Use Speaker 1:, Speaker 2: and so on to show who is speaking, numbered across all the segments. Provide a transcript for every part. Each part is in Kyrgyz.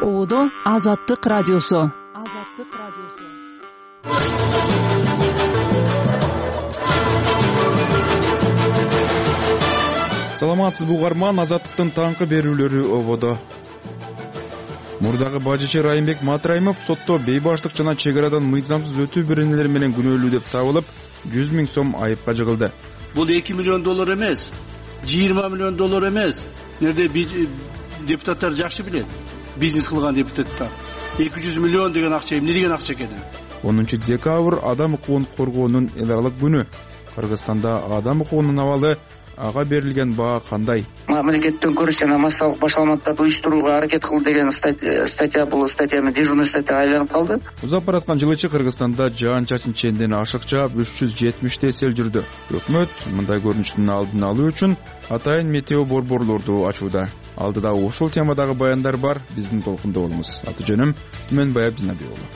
Speaker 1: Ободо Азаттык радиосу.
Speaker 2: Саламатсызбы угарман, Азаттыктын таңкы берүүлөрү ободо. Мурдагы бажычы Райымбек Матраимов сотто бейбаштык жана чек арадан мыйзамсыз өтүү беренелери менен күнөөлүү деп табылып, 100 000 сом айыпка жыгылды.
Speaker 3: Бул $2 миллион эмес, $20 миллион эмес. Нерде депутаттар жакшы билет. Бизнес кылган депутаттар 200 миллион деген акча эмне деген акча экенин.
Speaker 2: 10 декабрь адам укугун коргоонун эл аралык күнү. Кыргызстанда адам укугунун абалы ага берилген баа кандай?
Speaker 4: Мамлекеттен көрүш жана массалык башаламаттарды уюштурууга аракет кыл деген статья бул статьяны дежурный статьяга айланып калды.
Speaker 2: Узап бараткан жыл ичи Кыргызстанда жаан-чачын ченден ашык жаап 370 сел жүрдү. Өкмөт мындай көрүнүштүн алдын алуу үчүн атайын метео борборлорду ачууда. Алдыда ушул темадагы баяндар бар, биздин толкунда болуңуз. Аты жөнүм Түмөнбаев Жанабек уулу.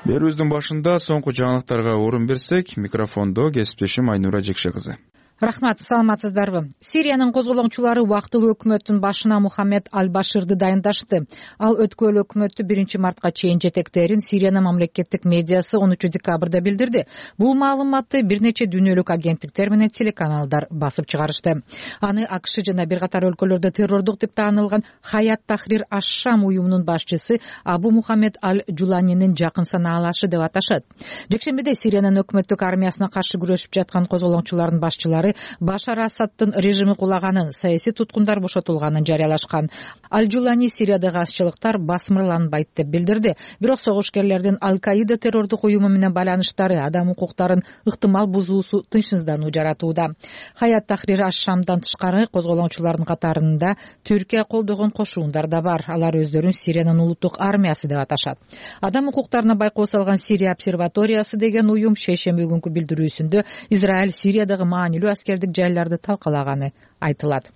Speaker 2: Берүүбүздүн башында соңку жаңылыктарга орун берсек, микрофондо кесиптешим Айнура Жекше кызы.
Speaker 5: Рахмат, саламатсыздарбы? Сириянын козголоңчулары убактылуу өкмөттүн башына Мухаммед Аль-Баширди дайындашты. Ал өткөл өкмөттү 1 мартка чейин жетектерин Сириянын мамлекеттик медиасы 13 декабрда билдирди. Бул маалыматты бир нече дүйнөлүк агенттиктер менен телеканалдар басып чыгарышты. Аны АКШ жана бир катар өлкөлөрдө террордук деп таанылган Хаят Тахрир аш-Шам уюмунун башчысы Абу Мухаммед Аль-Жуланинин жакын санаалашы деп аташат. Жекшембиде Сириянын өкмөттүк армиясына каршы күрөшүп жаткан козголоңчулардын башчылары Башар Асадтын режими кулаганын, саясий туткундар бошотулганын жарыялашкан. Аль-Жулани Сириядагы азчылыктар басмырланбайт деп билдирди. Бирок согушкерлердин Аль-Каида террордук уюму менен байланыштары адам укуктарын ыктымал бузуусу тынчсыздануу жаратууда. Хаят Тахрир аш-Шамдан тышкары козголоңчулардын катарында Түркия колдогон кошуундар да бар. Алар өздөрүн Сириянын улуттук армиясы деп аташат. Адам укуктарына байкоо салган Сирия обсерваториясы деген уюм шейшемби күнкү билдирүүсүндө Израиль Сириядагы маанилүү аскердик жайларды талкалаганы айтылат.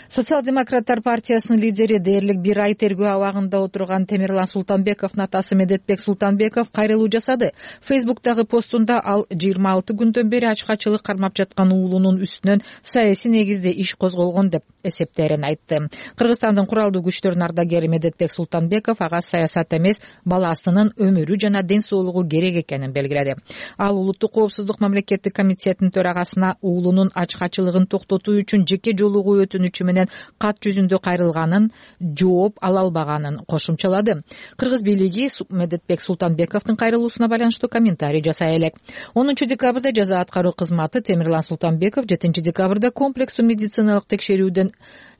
Speaker 5: Социал-демократтар партиясынын лидери дээрлик бир ай тергөө абагында отурган Темирлан Султанбековдун атасы Медетбек Султанбеков кайрылуу жасады. Фейсбуктагы постунда ал 26 күндөн бери ачкачылык кармап жаткан уулунун үстүнөн саясий негизде иш козголгон деп эсептерин айтты. Кыргызстандын куралдуу күчтөрүнүн ардагери Медетбек Султанбеков ага саясат эмес, баласынын өмүрү жана ден соолугу керек экенин белгиледи. Ал улуттук коопсуздук мамлекеттик комитетинин төрагасына уулунун ачкачылыгын токтотуу үчүн жеке жолугуу өтүнүчү менен кат жүзүндө кайрылганын, жооп ала албаганын кошумчалады. Кыргыз бийлиги Медетбек Султанбековдун кайрылуусуна байланыштуу комментарий жасай элек. 10 декабрда жаза аткаруу кызматы Темирлан Султанбеков 7 декабрда комплексүү медициналык текшерүүдөн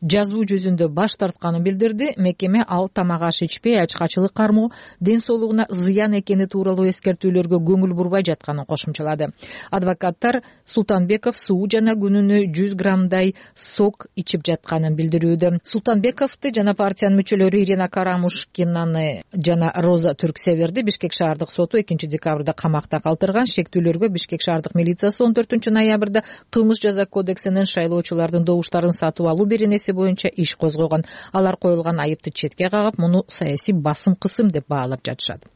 Speaker 5: жазуу жүзүндө баш тартканын билдирди. Мекеме ал тамак аш ичпей, ачкачылык кармоо ден соолугуна зыян экени тууралуу эскертүүлөргө көңүл бурбай жатканын кошумчалады. Адвокаттар Султанбеков суу жана күнүнө 100 граммдай сок ичип жатканын билдирүүдө. Султанбековду жана партиянын мүчөлөрү Ирина Карамушкинаны жана Роза Түрксеверди Бишкек шаардык соту 2 декабрда камакта калтырган. Шектүүлөргө Бишкек шаардык милициясы 14 ноябрда кылмыш жаза кодексинин шайлоочулардын добуштарын сатып алуу беренеси боюнча иш козгогон. Алар коюлган айыпты четке кагып, муну саясий басым кысым деп баалап жатышат.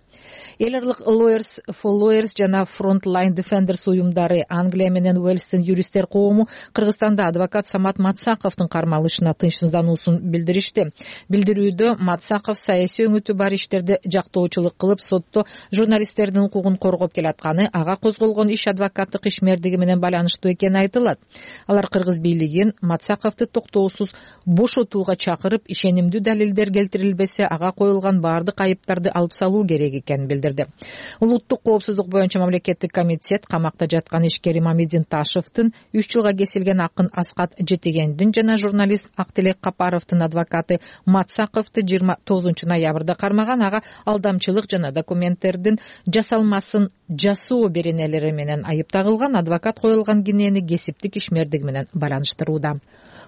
Speaker 5: Эл аралык Lawyers for Lawyers жана Frontline Defenders уюмдары Англия менен Уэльстин юристтер коому Кыргызстанда адвокат Самат Матсаковдун кармалышына тынчсыздануусун билдиришти. Билдирүүдө Матсаков саясий өңүтү бар иштерде жактоочулук кылып, сотто журналисттердин укугун коргоп келатканы, ага козголгон иш адвокаттык ишмердиги менен байланыштуу экени айтылат. Алар Кыргыз бийлигин Матсаковду токтоосуз бошотууга чакырып, ишенимдүү далилдер келтирилбесе, ага коюлган баардык айыптарды алып салуу керек экенин билдирди. Улуттук коопсуздук боюнча мамлекеттик комитет камакта жаткан ишкер Мамедин Ташевдин 3 жылга кесилген акын Аскат Жетегендин жана журналист Актилек Капаровдун адвокаты Матсаковду 29 ноябрда кармаган. Ага алдамчылык жана документтердин жасалмасын жасоо беренелери менен айып тагылган. Адвокат коюлган кинени кесиптик ишмердиги менен байланыштырууда.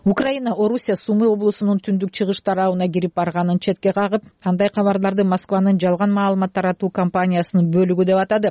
Speaker 5: Украина Орусия Сумы облусунун түндүк чыгыш тарабына кирип барганын четке кагып, андай кабарларды Москванын жалган маалымат таратуу компаниясынын бөлүгү деп атады.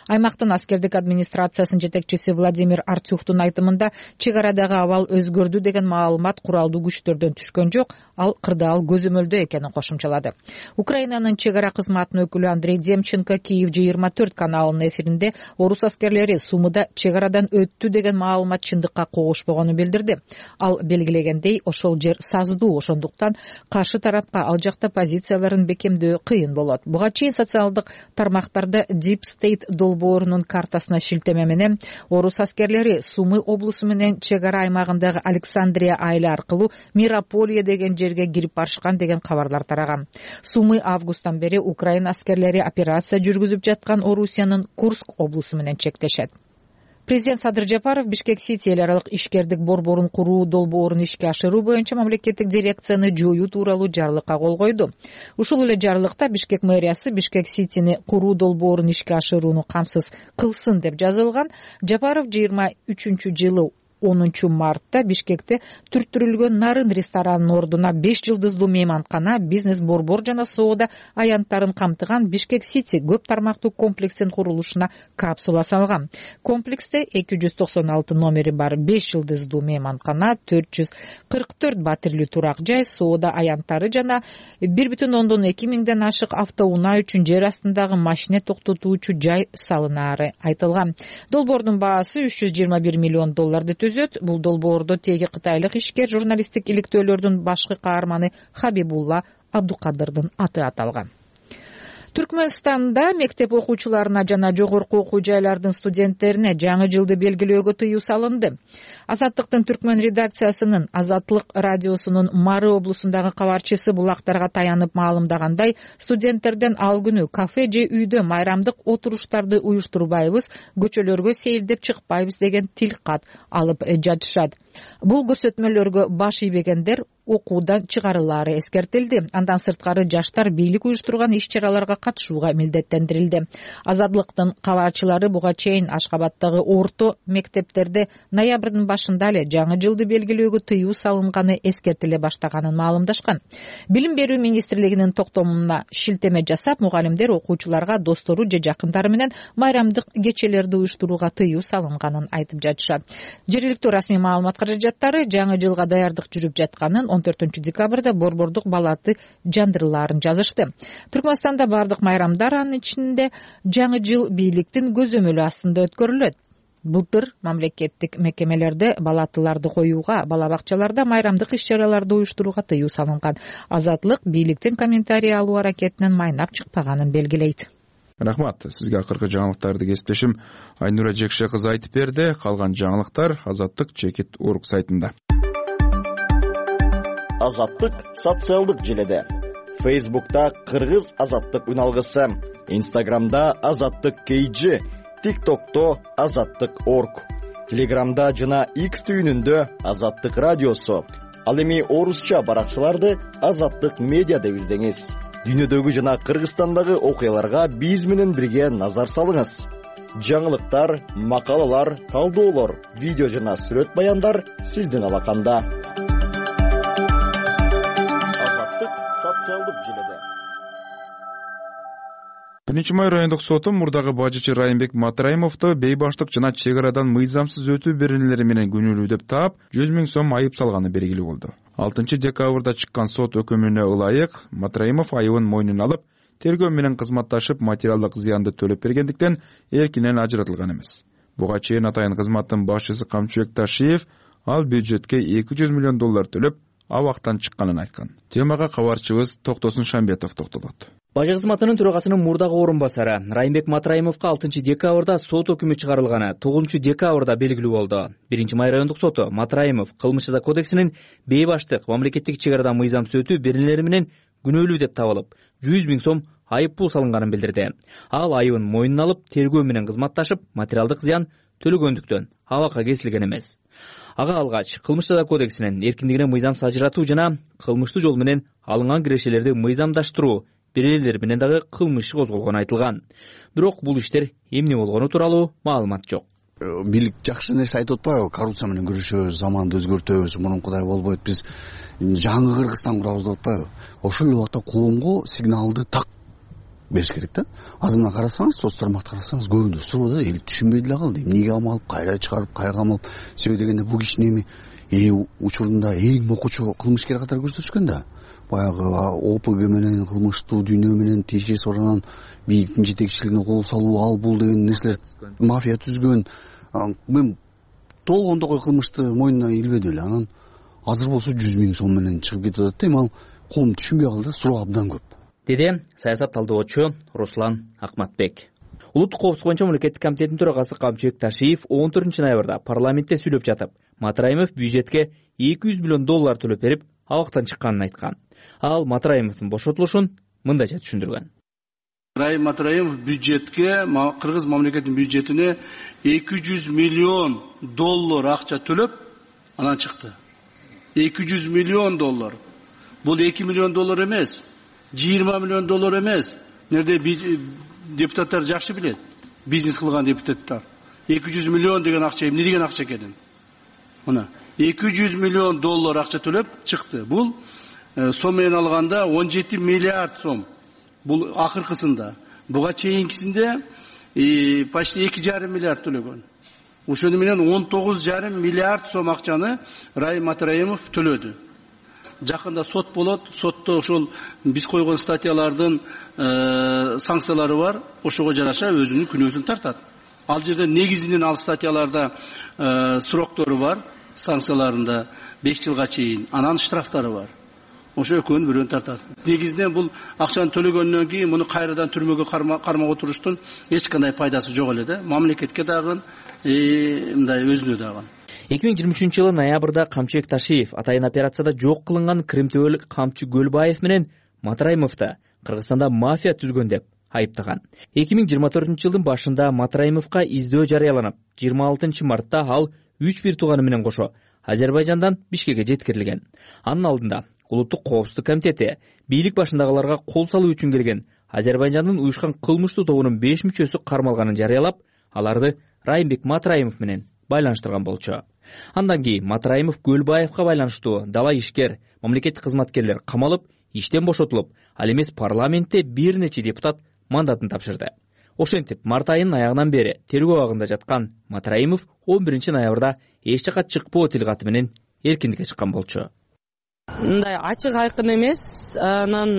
Speaker 5: Аймактын аскердик администрациясынын жетекчиси Владимир Артюхтун айтымында, чек арадагы абал өзгөрдү деген маалымат куралдуу күчтөрдөн түшкөн жок, ал кырдаал көзөмөлдөө экенин кошумчалады. Украинанын чек ара кызматынын өкүлү Андрей Демченко Киев 24 каналынын эфиринде орус аскерлери Сумыда чек арадан өттү деген маалымат чындыкка когушпогонун билдирди. Ал белгилегендей, ошол жер саздуу, ошондуктан каршы тарапка ал жакта позицияларын бекемдөө кыйын болот. Буга чейин социалдык тармактарда Deep State долбоорунун картасына шилтеме менен орус аскерлери Сумы облусу менен чек ара аймагындагы Александрия айылы аркылуу Мирополия деген жерге кирип барышкан деген кабарлар тараган. Сумы августтан бери Украина аскерлери операция жүргүзүп жаткан Орусиянын Курск облусу менен чектешет. Президент Садыр Жапаров Бишкек-Сити эл аралык ишкердик борборун куруу долбоорун ишке ашыруу боюнча мамлекеттик дирекцияны жоюу тууралуу жарлыкка кол койду. Ушул эле жарлыкта Бишкек мэриясы Бишкек-Ситини куруу долбоорун ишке ашырууну камсыз кылсын деп жазылган. Жапаров 23-жылы 10 мартта Бишкекте түрттүрүлгөн Нарын ресторанынын ордуна 5 жылдыздуу мейманкана, бизнес борбор жана соода аянттарын камтыган Бишкек-Сити көп тармактуу комплексин курулушуна капсула салган. Комплексте 296 номери бар 5 жылдыздуу мейманкана, 444 батирлүү турак жай, соода аянттары жана 1,2 миңден ашык автоунаа үчүн жер астындагы машина токтотуучу жай салынаары айтылган. Долбоордун баасы $321 миллион Бул долбоордо теги кытайлык ишкер журналисттик иликтөөлөрдүн башкы каарманы Хабибулла Абдукадырдын аты аталган. Түркмөнстанда мектеп окуучуларына жана жогорку окуу жайлардын студенттерине жаңы жылды белгилөөгө тыюу салынды. Азаттыктын түркмөн редакциясынын Азаттык радиосунун Мары облусундагы кабарчысы булактарга таянып маалымдагандай, студенттерден ал күнү кафе же үйдө майрамдык отуруштарды уюштурбайбыз, көчөлөргө сейилдеп чыкпайбыз деген тилкат алып жатышат. Бул көрсөтмөлөргө баш ийбегендер окуудан чыгарылаары эскертилди. Андан сырткары жаштар бийлик уюштурган иш-чараларга катышууга милдеттендирилди. Азаттыктын кабарчылары буга чейин Ашкабадтагы орто мектептерде ноябрдын башында эле жаңы жылды белгилөөгө тыюу салынганы эскертиле баштаганын маалымдашкан. Билим берүү министрлигинин токтомуна шилтеме жасап, мугалимдер окуучуларга достору же жакындары менен майрамдык кечелерди уюштурууга тыюу салынганын айтып жатышат. Жергиликтүү расмий маалымат каражаттары жаңы жылга даярдык жүрүп жатканын 14 декабрда борбордук балаты жандырылаарын жазышты. Түркмөнстанда бардык майрамдар, анын ичинде жаңы жыл бийликтин көзөмөлү астында өткөрүлөт. Былтыр мамлекеттик мекемелерде балатыларды коюуга, бала бакчаларда майрамдык иш-чараларды уюштурууга тыюу салынган. Азаттык бийликтин комментарий алуу аракетинен майнап чыкпаганын белгилейт.
Speaker 2: Рахмат. Сизге акыркы жаңылыктарды кесиптешим Айнура Жекше кызы айтып берди. Калган жаңылыктар Азаттык.org сайтында.
Speaker 6: Азаттык социалдык желеде. Facebook'ta Кыргыз Азаттык үналгысы, Instagram'da Азаттык KG, TikTok'ta Азаттык.org, Telegram'da жана X түйүнүндө Азаттык радиосу. Ал эми орусча баракчаларды Азаттык медиа деп издеңиз. Дүйнөдөгү жана Кыргызстандагы окуяларга биз менен бирге назар салыңыз. Жаңылыктар, макалалар, талдоолор, видео жана сүрөт баяндар сиздин алаканда. Азаттык социалдык желеде.
Speaker 2: 1-май райондук соту мурдагы бажычы Райымбек Матраимовду бейбаштык жана чек арадан мыйзамсыз өтүү беренелери менен күнөөлүү деп таап, 100 000 сом айып салганы белгилүү болду. 6 декабрда чыккан сот өкүмүнө ылайык Матраимов айыбын мойнуна алып, тергөө менен кызматташып материалдык зыянды төлөп бергендиктен эркинен ажыратылган эмес. Буга чейин атайын кызматтын башчысы Камчыбек Ташиев ал бюджетке $200 миллион төлөп, абактан чыкканын айткан. Темага кабарчыбыз Токтосун Шамбетов токтолот.
Speaker 7: Бажы кызматынын төрагасынын мурдагы орун басары Райымбек Матраимовго 6 декабрда сот өкүмү чыгарылганы 9 декабрда белгилүү болду. 1-май райондук соту Матраимов Кылмыш жаза кодексинин бейбаштык, мамлекеттик чек арадан мыйзамсыз өтүү беренелери менен күнөөлүү деп табылып, 100 000 сом айып пул салынганын билдирди. Ал айыбын мойнуна алып, тергөө менен кызматташып, материалдык зыян төлөгөндүктөн абакка кесилген эмес. Ага алгач Кылмыш жаза кодексинин эркиндигине мыйзамсыз ажыратуу жана кылмыштуу жол менен алынган кирешелерди мыйзамдаштыруу беренелер менен дагы кылмыш иши козголгону айтылган. Бирок бул иштер эмне болгону тууралуу маалымат жок.
Speaker 8: Бийлик жакшы нерсе айтып атпайбы? Коррупция менен күрөшөбүз, заманды өзгөртөбүз, мурункудай болбойт. Биз жаңы Кыргызстан курабыз деп атпайбы? Ошол эле убакта коомго сигналды так бериш керек да. Азырына карасаңыз, соц тармакты карасаңыз, көбүндө суроо да, эл түшүнбөй деле калды. Эмнеге амалып, кайра чыгарып, кайга амалып, себеби дегенде бул кишинин эми учурунда эң мокучу кылмышкер катары көрсөтүшкөн да. Баягы ОПГ менен, кылмыштуу дүйнө менен тиешеси барган бийликтин жетекчилигине кол салуу, ал бул деген нерселер мафия түзгөн. Мен толгондогой кылмышты мойнуна илбедим эле. Анан азыр болсо 100 000 сом менен чыгып кетип атат да. Эми ал коом түшүнбөй калды да, суроо абдан көп,
Speaker 7: деди саясат талдоочу Руслан Акматбек. Улуттук коопсуздук боюнча мамлекеттик комитеттин төрагасы Камчыбек Ташиев 14 ноябрда парламентте сүйлөп жатып, Матраимов бюджетке $200 миллион төлөп берип, абактан чыкканын айткан. Ал Матраимовдун бошотулушун мындайча түшүндүргөн.
Speaker 3: Раим Матраимов бюджетке, Кыргыз мамлекетинин бюджетине $200 миллион акча төлөп, анан чыкты. $200 миллион. Бул $2 миллион эмес, $20 миллион эмес. Нерде депутаттар жакшы билет. Бизнес кылган депутаттар. $200 миллион деген акча эмне деген акча экенин. Мына $200 миллион акча төлөп чыкты. Бул сом менен алганда 17 миллиард сом. Бул акыркысында. Буга чейинкисинде почти 2,5 миллиард төлөгөн. Ошону менен 19,5 миллиард сом акчаны Раим Матраимов төлөдү. Жакында сот болот. Сотто ошол биз койгон статьялардын санкциялары бар. Ошого жараша өзүнүн күнөөсүн тартат. Ал жерде негизинен ал статьяларда сроктору бар, санкцияларында 5 жылга чейин, анан штрафтары бар. Ошо экөөнүн бирөөнү тартат. Негизинен бул акчаны төлөгөндөн кийин муну кайрадан түрмөгө кармап отуруштун эч кандай пайдасы жок эле да. Мамлекетке дагы мындай өзүнө дагы.
Speaker 7: 2023 ноябрда Камчыбек Ташиев атайын операцияда жок кылынган кримтөөлүк камчы Көлбаев менен Матраимовду Кыргызстанда мафия түзгөн деп айыптаган. 2024 башында Матраимовго издөө жарыяланып, 26 мартта ал 3 бир тууганы менен кошо Азербайжандан Бишкекке жеткирилген. Анын алдында Улуттук коопсуздук комитети бийлик башындагыларга кол салуу үчүн келген Азербайжандын уюшкан кылмыштуу тобунун 5 мүчөсү кармалганын жарыялап, аларды Раймбек Матраимов менен байланыштырган болчу. Андан кийин Матраимов Көлбаевга байланыштуу дала ишкер, мамлекеттик кызматкерлер камалып, иштен бошотулуп, ал эмес парламентте бир нече депутат мандатын тапшырды. Ошентип, март айынын аягынан бери тергөө абагында жаткан Матраимов 11 ноябрда эч жака чыкпоо тилгаты менен эркиндикке чыккан болчу.
Speaker 9: Мындай ачык айкын эмес, анан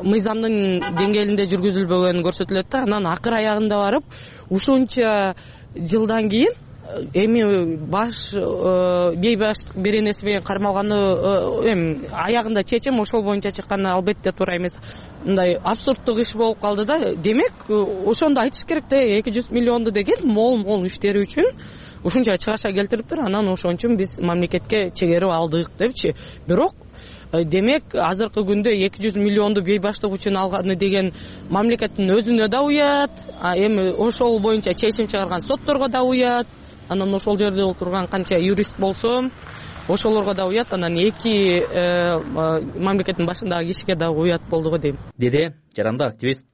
Speaker 9: мыйзамдын деңгээлинде жүргүзүлбөгөнү көрсөтүлөт да. Анан акыр аягында барып, ушунча жылдан кийин эми бейбаштык беренеси менен кармалганы эми аягында чечим ошол боюнча чыкканы албетте туура эмес. Мындай абсурдтук иш болуп калды да. Демек, ошондо айтыш керек да, 200 миллионду деген мол иштери үчүн ушунча чыгаша келтириптир. Анан ошон үчүн биз мамлекетке чегерип алдык депчи. Бирок демек, азыркы күндө 200 миллионду бейбаштык үчүн алганы деген мамлекеттин өзүнө да уят, эми ошол боюнча чечим чыгарган сотторго да уят. Анан ошол жерде отурган канча юрист болсо, ошолорго да уят, анан эки мамлекеттин башындагы кишиге да уят болду го дейм.
Speaker 7: Деди жаранды активист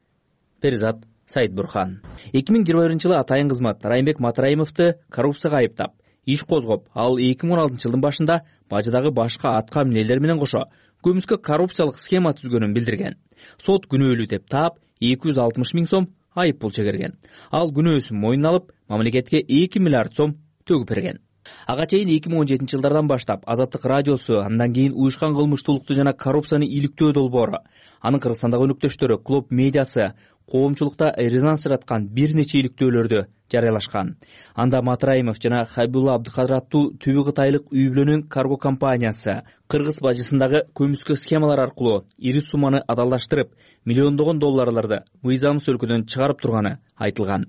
Speaker 7: Перизат Сайытбурхан. 2021 атайын кызмат Раймбек Матраимовду коррупцияга айыптап, иш козгоп, ал 2016 башында бажыдагы башка атка минелер менен кошо көмүскө коррупциялык схема түзгөнүн билдирген. Сот күнөөлүү деп таап 260 000 сом айып пул чегерген. Ал күнөөсүн мойнуна алып, мамлекетке 2 миллиард сом төгүп берген. Ага чейин 2017 жылдардан баштап Азаттык радиосу, андан кийин уюшкан кылмыштуулукту жана коррупцияны иликтөө долбоору, анын Кыргызстандагы өнөктөштөрү Клуб медиасы коомчулукта резонанс жараткан бир нече иликтөөлөрдү жарыялашкан. Анда Матраимов жана Хабибулла Абдыкадыр аттуу түбү кытайлык үй бүлөнүн карго компаниясы Кыргыз бажысындагы көмүскө схемалар аркылуу ири сумманы адалдаштырып, миллиондогон долларларды мыйзамсыз өлкөдөн чыгарып турганы айтылган.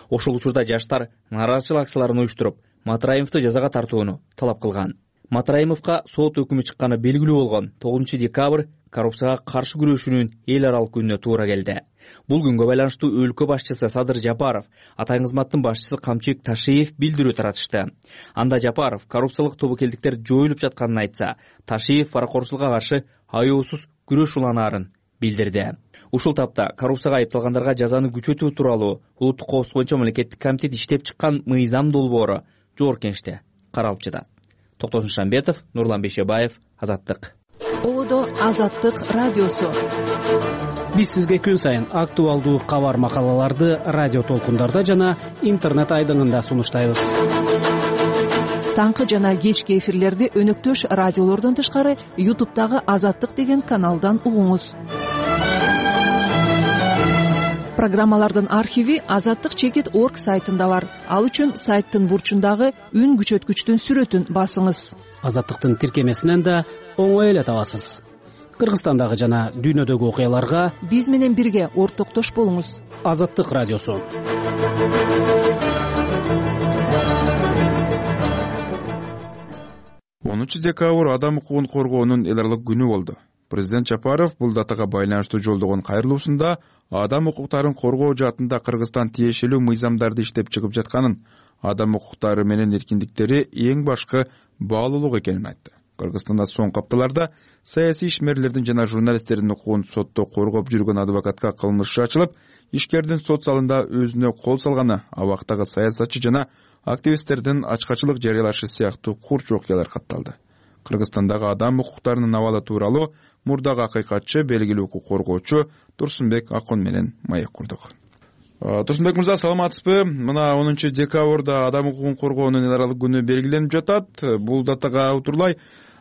Speaker 7: Ошол учурда жаштар нааразычылык акцияларын уюштуруп, Матраимовду жазага тартууну талап кылган. Матраимовго сот өкүмү чыкканы белгилүү болгон 9 декабрь коррупцияга каршы күрөшүүнүн эл аралык күнүнө туура келди. Бул күнгө байланыштуу өлкө башчысы Садыр Жапаров, атайын кызматтын башчысы Камчыбек Ташиев билдирүү таратышты. Анда Жапаров коррупциялык тобокелдиктер жоюлуп жатканын айтса, Ташиев паракорчулукка каршы аяосуз күрөш уланаарын билдирди. Ушул тапта коррупцияга айыпталгандарга жазаны күчөтүү тууралуу Улуттук коопсуздук боюнча мамлекеттик комитет иштеп чыккан мыйзам долбоору жогорку кеңеште каралып жатат. Токтосун Шамбетов, Нурлан Бейшебаев, Азаттык.
Speaker 1: Одо Азаттык радиосу.
Speaker 10: Биз сизге күн сайын актуалдуу кабар макалаларды радио толкундарда жана интернет айдыңында сунуштайбыз.
Speaker 1: Таңкы жана кечки эфирлерди өнөктөш радиолордон тышкары YouTube'дагы Азаттык деген каналдан угуңуз. программалардын архиви azattik.org сайтында бар. Ал үчүн сайттын бурчундагы үн күчөткүчтүн сүрөтүн басыңыз.
Speaker 10: Азаттыктын тиркемесинен да оңой эле табасыз. Кыргызстандагы жана дүйнөдөгү окуяларга
Speaker 1: биз менен бирге ортоктош болуңуз.
Speaker 10: Азаттык радиосу.
Speaker 2: 10 декабрь адам укугун коргоонун эл аралык күнү болду. Президент Жапаров бул датага байланыштуу жолдогон кайрылуусунда адам укуктарын коргоо жаатында Кыргызстан тиешелүү мыйзамдарды иштеп чыгып жатканын, адам укуктары менен эркиндиктери эң башкы баалуулук экенин айтты. Кыргызстанда соңку апталарда саясий ишмерлердин жана журналисттердин укугун сотто коргоп жүргөн адвокатка кылмыш иши ачылып, ишкердин сот залында өзүнө кол салганы, абактагы саясатчы жана активисттердин ачкачылык жарыялашы сыяктуу курч окуялар катталды. Кыргызстандагы адам укуктарынын абалы тууралуу мурдагы акыйкатчы, белгилүү укук коргоочу Турсунбек Акон менен маек курдук. Турсунбек мырза, саламатсызбы? Мына 10 декабрда адам укугун коргоонун эл аралык күнү белгиленип жатат. Бул датага утурлай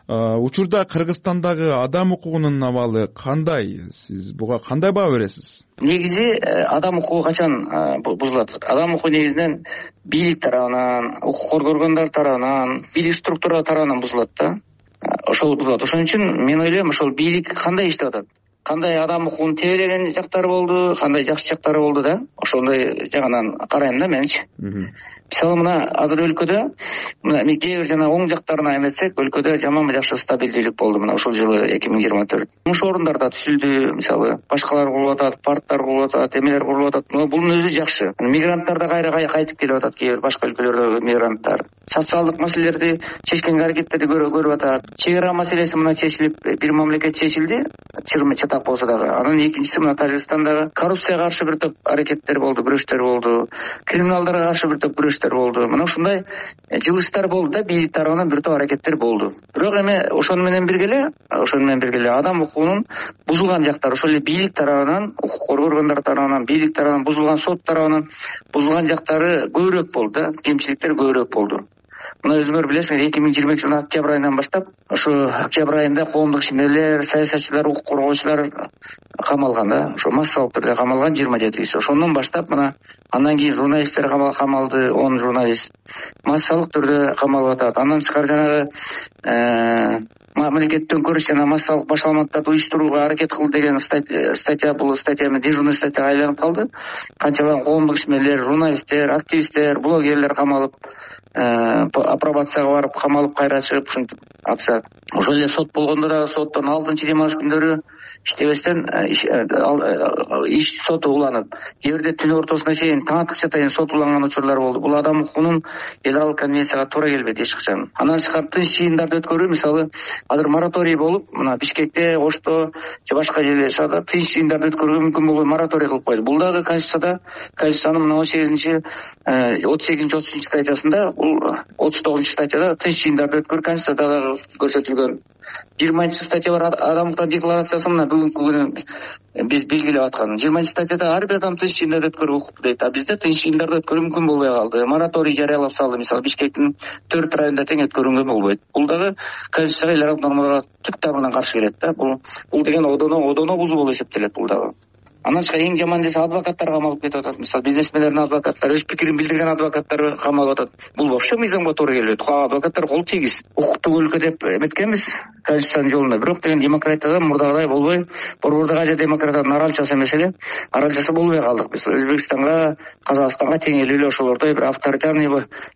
Speaker 2: учурда Кыргызстандагы адам укугунун абалы кандай? Сиз буга кандай баа бересиз?
Speaker 4: Негизи адам укугу качан бузулат? Адам укугу негизинен бийлик тарабынан, укук коргогондар тарабынан, бийлик структура тарабынан бузулат да. Ошол бузулат. Ошон үчүн мен ойлойм, ошол бийлик кандай иштеп атат? Кандай адам укугун тебелеген жактары болду, кандай жакшы жактары болду да. Ошондой жагынан карайм да менчи. Мисалы мына азыр өлкөдө мына кээ бир жана оң жактарына эметсек, өлкөдө жаман жакшы стабилдүүлүк болду мына ушул жылы 2024. Муш орундар да түзүлдү, мисалы башкалар курулуп атат, парктар курулуп атат, эмелер курулуп атат. Бунун өзү жакшы. Мигранттар да кайра кайтып келип атат, кээ бир башка өлкөлөрдө мигранттар. Социалдык маселелерди чечкенге аракеттерди көрүп атат. Чек ара маселеси мына чечилип, бир мамлекет чечилди, чырмы чатак болсо дагы. Анан экинчиси мына Тажикстандагы коррупцияга каршы бир топ аракеттер болду, күрөштөр болду. Криминалдарга каршы бир топ күрөштөр болду. Мына ушундай жылыштар болду да, бийлик тарабынан бир топ аракеттер болду. Бирок эми ошону менен бирге эле адам укугунун бузулган жактары ошол эле бийлик тарабынан, укук коргогондар тарабынан, бийлик тарабынан бузулган, сот тарабынан бузулган жактары көбүрөөк болду да, кемчиликтер көбүрөөк болду. Мына өзүңөр билесиңер, 2022 жылдын октябрь айынан баштап, ошо октябрь айында коомдук ишмерлер, саясатчылар, укук коргоочулар камалган да, ошо массалык түрдө камалган 27 киши. Ошондон баштап мына андан кийин журналисттер камалды, 10 журналист массалык түрдө камалып атат. Андан тышкары жанагы мамлекет төңкөрүш жана массалык башаламаттарды уюштурууга аракет кылды деген статья, бул статья дежурный статьяга айланып калды. Канчалаган коомдук ишмерлер, журналисттер, активисттер, блогерлер камалып, апробацияга барып камалып кайра чыгып ушинтип атышат. Ошол эле сот болгондо да соттон алдынчы демалыш күндөрү иштебестен иш соту уланып, кээ бирде түн ортосуна чейин, таң аткыча чейин сот уланган учурлар болду. Бул адам укугунун эл аралык конвенцияга туура келбейт эч качан. Андан тышкары тынч жыйындарды өткөрүү, мисалы азыр мораторий болуп, мына Бишкекте, Ошто же башка жерлерде тынч жыйындарды өткөрүүгө мүмкүн болбой мораторий кылып койду. Бул дагы Конституциянын мына 38-33 статьясында, бул 39 статьяда тынч жыйындарды өткөрүү Конституцияда көрсөтүлгөн. 20 статья бар адамдык декларациясы, мына бүгүнкү күнү биз белгилеп аткан. 20 статьяда ар бир адам тынч жыйындарды өткөрүүгө укуктуу дейт. А бизде тынч жыйындарды өткөрүү мүмкүн болбой калды. Мораторий жарыялап салды. Мисалы Бишкектин 4 районунда тең өткөрүүгө болбойт. Бул дагы Конституцияга, эл аралык нормаларга түп тамырынан каршы келет да. Бул деген одоно бузуу болуп эсептелет бул дагы. Андан тышкары эң жаман десе адвокаттар камалып кетип атат. Мисалы бизнесмендердин адвокаттары, өз пикирин билдирген адвокаттар камалып атат. Бул вообще мыйзамга туура келбейт. Адвокаттар кол тийгиз. Укуктук өлкө деп эметкенбиз Конституциянын жолунда. Бирок деген демократияда мурдагыдай болбой, борбордук Азия демократиянын аралчасы эмес эле, аралчасы болбой калдык. Биз Өзбекстанга, Казакстанга теңелүү эле ошолордой бир авторитарный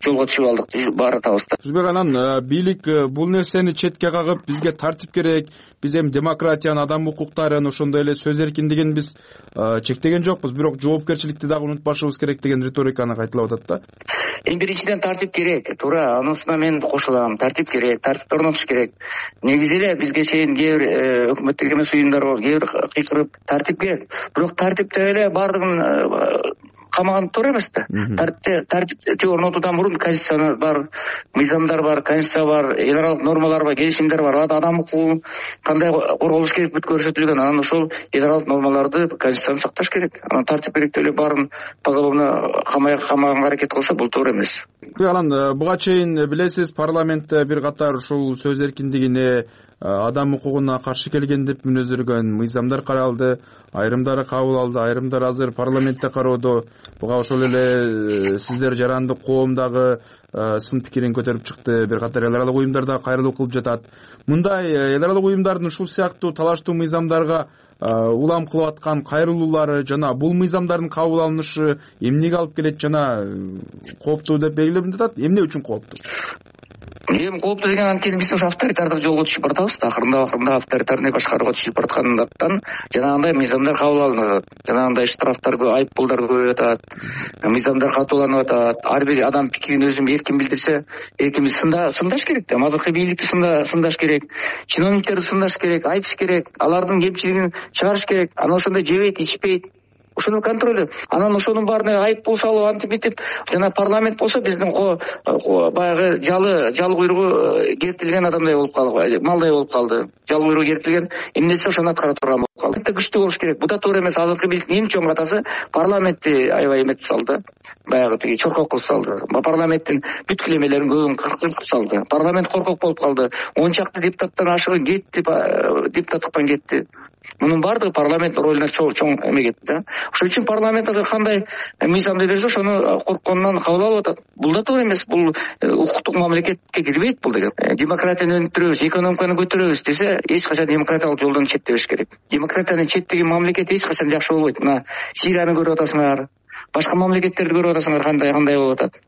Speaker 4: жолго түшүп алдык баратабызда.
Speaker 2: Түзбек, анан бийлик бул нерсени четке кагып, бизге тартип керек, биз эми демократияны, адам укуктарын, ошондой эле сөз эркиндигин биз чектеген жокпуз, бирок жоопкерчиликти дагы унутпашыбыз керек деген риториканы кайталап атат да.
Speaker 4: Эң биринчиден тартип керек, туура, анысына мен кошулам. Тартип керек, тартипти орнотуш керек. Негизи эле бизге чейин кээ бир өкмөттүк эмес уюмдар бар, кээ бир кыйкырып тартип керек. Бирок тартипте эле баардыгын камаган туура эмес да. Тартипти орнотуудан мурун Конституция бар, мыйзамдар бар, Конституция бар, эл аралык нормалар бар, келишимдер бар. Адам укугу кандай корголуш керек бүт көрсөтүлгөн. Анан ошол эл аралык нормаларды Конституцияны сакташ керек. Анан тартип керек деп эле баарын поголовно камаганга аракет кылса, бул туура эмес.
Speaker 2: Анан буга чейин билесиз, парламентте бир катар ушул сөз эркиндигине, адам укугуна каршы келген деп мүнөздөргөн мыйзамдар каралды, айрымдары кабыл алды, айрымдары азыр парламентте кароодо. Буга ошол эле сиздер жарандык коомдагы сын пикирин көтөрүп чыкты, бир катар эл аралык уюмдар да кайрылуу кылып жатат. Мындай эл аралык уюмдардын ушул сыяктуу талаштуу мыйзамдарга улам кылып аткан кайрылуулары жана бул мыйзамдардын кабыл алынышы эмнеге алып келет жана кооптуу деп белгилеп жатат. Эмне үчүн кооптуу?
Speaker 4: Эми кооптуу деген анткени биз ушу авторитардык жолго түшүп баратабыз. Акырында авторитарный башкарууга түшүп бараткандыктан жанагындай мыйзамдар кабыл алынып атат. Жанагындай штрафтар, айып пулдар көбөйүп атат. Мыйзамдар катууланып атат. Ар бир адам пикирин өзүн эркин билдирсе, эркин сындаш керек да. Азыркы бийликти сындаш керек. Чиновниктерди сындаш керек, айтыш керек. Алардын кемчилигин чыгарыш керек. Анан ошондой жебейт, ичпейт. Ошонун контролу. Анан ошонун баарына айып пул салып, антип бүтүп, жана парламент болсо биздин баягы жалы куйругу кертилген адамдай болуп калды, малдай болуп калды. Жалы куйругу кертилген эмнеси ошону аткара турган болуп калды. Күчтүү болуш керек. Буда туура эмес. Азыркы бийликтин эң чоң катасы парламентти аябай эметип салды. Баягы тиги чоркок кылып салды. Парламенттин бүт килемелерин көбүн кыркып салды. Парламент коркок болуп калды. 10 чакты депутаттан ашыгы кетти, депутаттыктан кетти. Мунун баардыгы парламенттин ролуна чоң эме кетти да. Ошон үчүн парламент азыр кандай мыйзамды берсе ошону коркконунан кабыл алып атат. Бул да туура эмес. Бул укуктук мамлекетке кирбейт бул деген. Демократияны өнүктүрөбүз, экономиканы көтөрөбүз десе, эч качан демократиялык жолдон четтебеш керек. Демократияны четтеген мамлекет эч качан жакшы болбойт. Мына Сирияны көрүп атасыңар, башка мамлекеттерди көрүп атасыңар кандай болуп атат.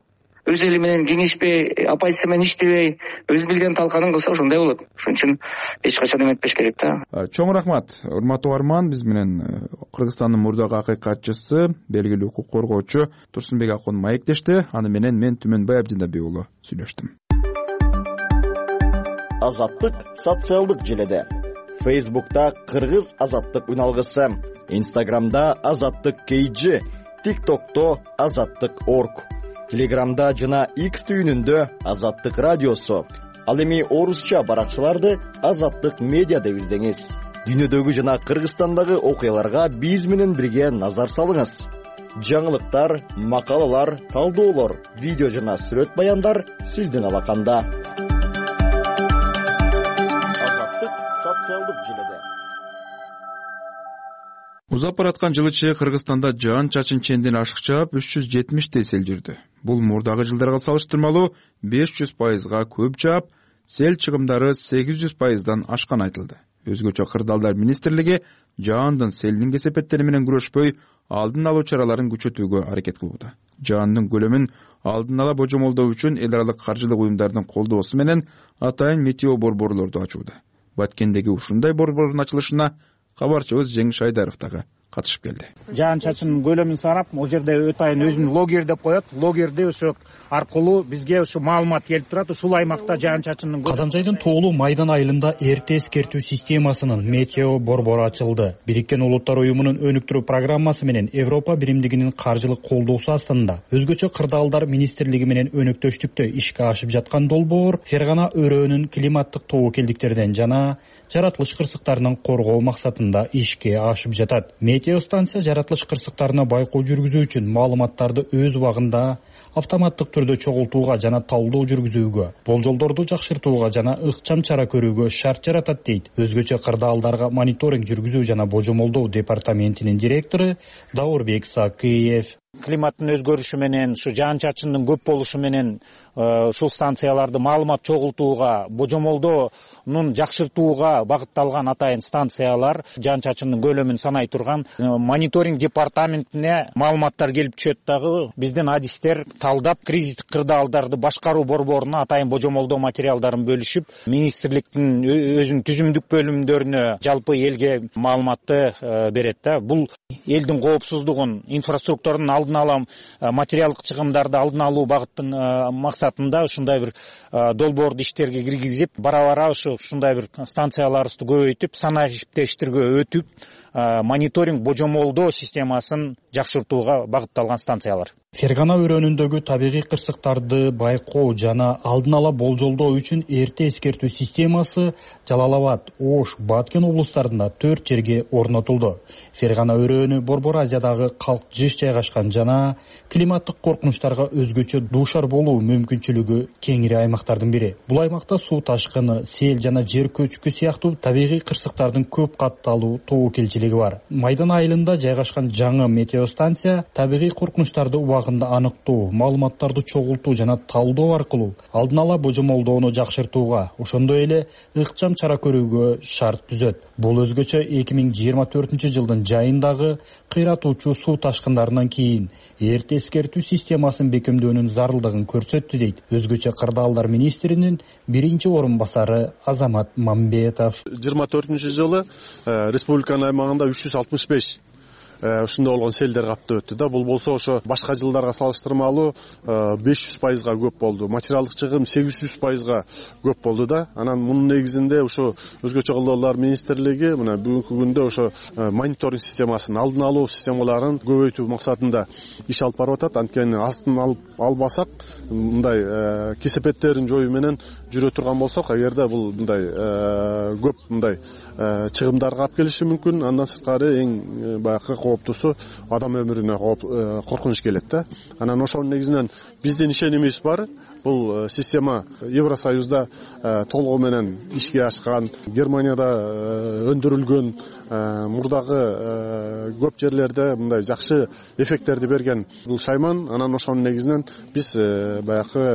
Speaker 4: Өз эли менен кеңешпей, оппозиция менен иштебей, өз билген талканын кылса ошондой болот. Ошон үчүн эч качан эметпеш керек да.
Speaker 2: Чоң рахмат. Урматтуу угарман, биз менен Кыргызстандын мурдагы акыйкатчысы, белгилүү укук коргоочу Турсунбек Акун маектешти. Аны менен мен Түмөнбай Абдиндаби уулу сүйлөштүм.
Speaker 6: Азаттык социалдык желеде. Facebook'ta Кыргыз азаттык үналгысы, Instagram'da азаттык KG, TikTok'to азаттык орг, Telegram'da жана X түйүнүндө азаттык радиосу. Ал эми орусча баракчаларды азаттык медиа деп издеңиз. Дүйнөдөгү жана Кыргызстандагы окуяларга биз менен бирге назар салыңыз. Жаңылыктар, макалалар, талдоолор, видео жана сүрөт баяндар сиздин алаканда. Азаттык социалдык желеде.
Speaker 2: Узап бараткан жыл ичи Кыргызстанда жаан-чачын ченден ашыкча 370 сел жүрдү. Бул мурдагы жылдарга салыштырмалуу 500%га көп жаап, сел чыгымдары 800%дан ашкан айтылды. Өзгөчө Кырдаалдар министрлиги жаандын селдин кесепеттери менен күрөшпөй, алдын алуу чараларын күчөтүүгө аракет кылууда. Жаандын көлөмүн алдын ала божомолдоо үчүн эл аралык каржылык уюмдардын колдоосу менен атайын метео борборлорду ачууда. Баткендеги ушундай борбордун ачылышына кабарчыбыз Жеңиш Айдаров дагы катышып келди.
Speaker 11: Жаан-чачын көлөмүн санап, ал жерде атайын өзүн логер деп коет. Логерди ошо аркылуу бизге ушу маалымат келип турат. Ушул аймакта жаан-чачындын
Speaker 12: Кадамжайдын тоолуу Майдан айылында эрте эскертүү системасынын метео борбору ачылды. Бириккен Улуттар уюмунун өнүктүрүү программасы менен Европа биримдигинин каржылык колдоосу астында өзгөчө Кырдаалдар министрлиги менен өнөктөштүктө ишке ашып жаткан долбоор Фергана өрөөнүн климаттык тобокелдиктерден жана жаратылыш кырсыктарынан коргоо максатында ишке ашып жатат. Метео станция жаратылыш кырсыктарына байкоо жүргүзүү үчүн маалыматтарды өз убагында автоматтык түрдө чогултууга жана талдоо жүргүзүүгө, болжолдорду жакшыртууга жана ыкчам чара көрүүгө шарт жаратат дейт өзгөчө Кырдаалдарга мониторинг жүргүзүү жана божомолдоо департаментинин директору Даурбек Сакыев.
Speaker 11: Климаттын өзгөрүшү менен, ушу жаан-чачындын көп болушу менен ушул станцияларды маалымат чогултууга, божомолдоонун жакшыртууга багытталган атайын станциялар жаан-чачындын көлөмүн санай турган мониторинг департаментине маалыматтар келип түшөт дагы. Биздин адистер талдап, кризистик кырдаалдарды башкаруу борборуна атайын божомолдоо материалдарын бөлүшүп, министрликтин өзүнүн түзүмдүк бөлүмдөрүнө, жалпы элге маалыматты берет да. Бул элдин коопсуздугун, инфраструктуранын алдын ала материалдык чыгымдарды алдын алуу багыттын максатында ушундай бир долбоорду иштерге киргизип, бара-бара ушундай бир станцияларыбызды көбөйтүп, санариптештирүүгө өтүп, мониторинг божомолдоо системасын жакшыртууга багытталган станциялар.
Speaker 12: Фергана өрөөнүндөгү табигый кырсыктарды байкоо жана алдын ала болжолдоо үчүн эрте эскертүү системасы Жалал Абад, Ош, Баткен облустарында 4 жерге орнотулду. Фергана өрөөнү Борбор Азиядагы калк жыш жайгашкан жана климаттык коркунучтарга өзгөчө дуушар болуу мүмкүнчүлүгү кеңири аймактардын бири. Бул аймакта суу ташкыны, сел жана жер көчкү сыяктуу табигый кырсыктардын көп катталуу тобокелчилиги бар. Майдан айылында жайгашкан жаңы метеостанция табигый коркунучтарды аныктоо, маалыматтарды чогултуу жана талдоо аркылуу алдын ала божомолдоону жакшыртууга, ошондой эле ыкчам чара көрүүгө шарт түзөт. Бул өзгөчө 2024-жылдын жайындагы кыйратуучу суу ташкындарынан кийин эрте эскертүү системасын бекемдөөнүн зарылдыгын көрсөттү дейт өзгөчө кырдаалдар министринин биринчи орун басары Азамат Мамбетов.
Speaker 13: 24-жылы республиканын аймагында 365 ушундай болгон селдер каптап өттү да. Бул болсо ошо башка жылдарга салыштырмалуу 500%га көп болду. Материалдык чыгым 800%га көп болду да. Анан мунун негизинде ошо өзгөчө кылдоолор министрлиги мына бүгүнкү күндө ошо мониторинг системасын, алдын алуу системаларын көбөйтүү максатында иш алып барып атат. Анткени астын албасак, мындай кесепеттерин жоюу менен жүрө турган болсок, эгерде бул мындай көп мындай чыгымдарга алып келиши мүмкүн. Андан сырткары эң баягы кооптусу адам өмүрүнө коркунуч келет да. Анан ошонун негизинен биздин ишенимибиз бар. Бул система Евросоюзда толугу менен ишке ашкан, Германияда өндүрүлгөн, мурдагы көп жерлерде мындай жакшы эффекттерди берген бул шайман. Анан ошонун негизинен биз баягы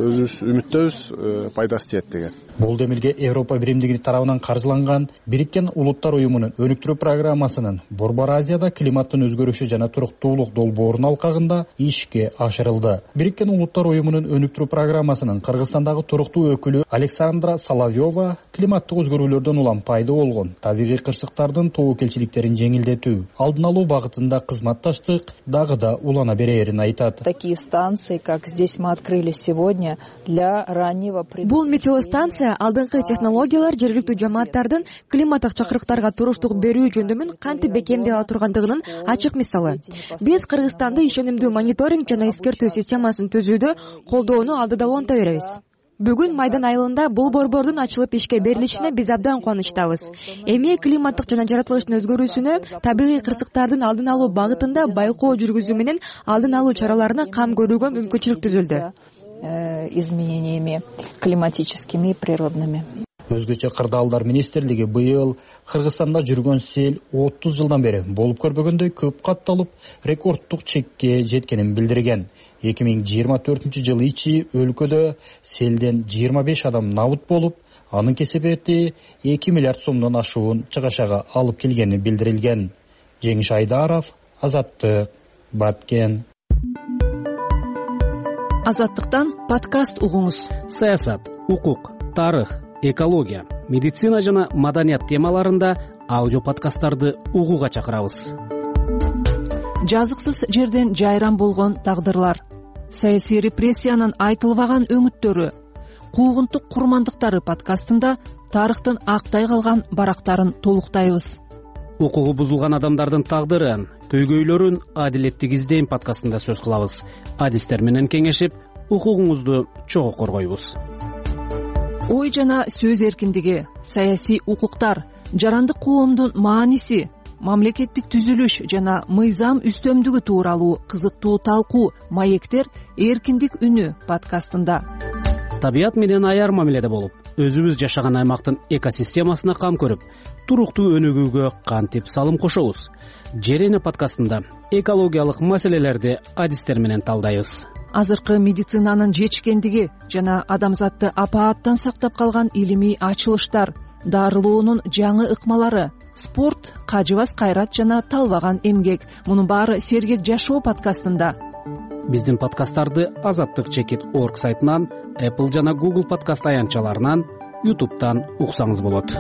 Speaker 13: өзүбүз үмүттөбүз, пайдасы тиет деген.
Speaker 12: Бул демилге Европа биримдиги тарабынан каржыланган Бириккен Улуттар уюмунун өнүктүрүү программасынын Борбор Азияда климаттын өзгөрүшү жана туруктуулук долбоорунун алкагында ишке ашырылды. Бириккен Улуттар уюмунун өнүктүрүү программасынын Кыргызстандагы туруктуу өкүлү Александра Соловьева климаттык өзгөрүүлөрдөн улам пайда болгон табигый кырсыктардын тобокелчиликтерин жеңилдетүү, алдын алуу багытында кызматташтык дагы да улана берерин айтат.
Speaker 14: Такие станции, как здесь мы открыли сегодня, для раннего
Speaker 15: Бул метеостанция алдыңкы технологиялар жергиликтүү жамааттардын климаттык чакырыктарга туруштук берүү жөндөмүн кантип бекемдей ала тургандыгынын ачык мисалы. Биз Кыргызстанды ишенимдүү мониторинг жана эскертүү системасын түзүүдө колдоону алдыда уланта беребиз. Бүгүн Майдан айылында бул борбордун ачылып ишке берилишине биз абдан кубанычтабыз. Эми климаттык жана жаратылыштын өзгөрүүсүнө, табигый кырсыктардын алдын алуу багытында байкоо жүргүзүү менен алдын алуу чараларына кам көрүүгө мүмкүнчүлүк түзүлдү.
Speaker 14: Изменениями климатическими и природными.
Speaker 12: Өзгөчө кырдаалдар министрлиги быйыл Кыргызстанда жүргөн сел 30 жылдан бери болуп көрбөгөндөй көп катталып, рекордтук чекке жеткенин билдирген. 2024-жылы ичи өлкөдө селден 25 адам набыт болуп, анын кесепети 2 миллиард сомдон ашуун чыгашага алып келгени билдирилген. Жеңиш Айдаров, Азаттык, Баткен.
Speaker 1: Азаттыктан подкаст угуңуз.
Speaker 10: Саясат, укук, тарых, экология, медицина жана маданият темаларында аудио подкасттарды угууга чакырабыз.
Speaker 1: Жазыксыз жерден жайран болгон тагдырлар, саясий репрессиянын айтылбаган өңүттөрү, куугунтук курмандыктары подкастында тарыхтын актай калган барактарын толуктайбыз.
Speaker 10: Укугу бузулган адамдардын тагдырын, көйгөйлөрүн адилеттик издейм подкастында сөз кылабыз. Адистер менен кеңешип, укугуңузду чогуу коргойбуз.
Speaker 1: Ой жана сөз эркиндиги, саясий укуктар, жарандык коомдун мааниси, мамлекеттик түзүлүш жана мыйзам үстөмдүгү тууралуу кызыктуу талкуу, маектер эркиндик үнү подкастында.
Speaker 10: Табият менен аяр мамиледе болуп, өзүбүз жашаган аймактын экосистемасына кам көрүп, туруктуу өнүгүүгө кантип салым кошобуз? Жер эне подкастында экологиялык маселелерди адистер менен талдайбыз.
Speaker 1: Азыркы медицинанын жетишкендиги жана адамзатты апааттан сактап калган илимий ачылыштар, дарылоонун жаңы ыкмалары, спорт, кажыбас кайрат жана талбаган эмгек. Мунун баары сергек жашоо подкастында.
Speaker 10: Биздин подкасттарды azattik.org сайтынан, Apple жана Google подкаст аянтчаларынан, YouTube'дан уксаңыз болот.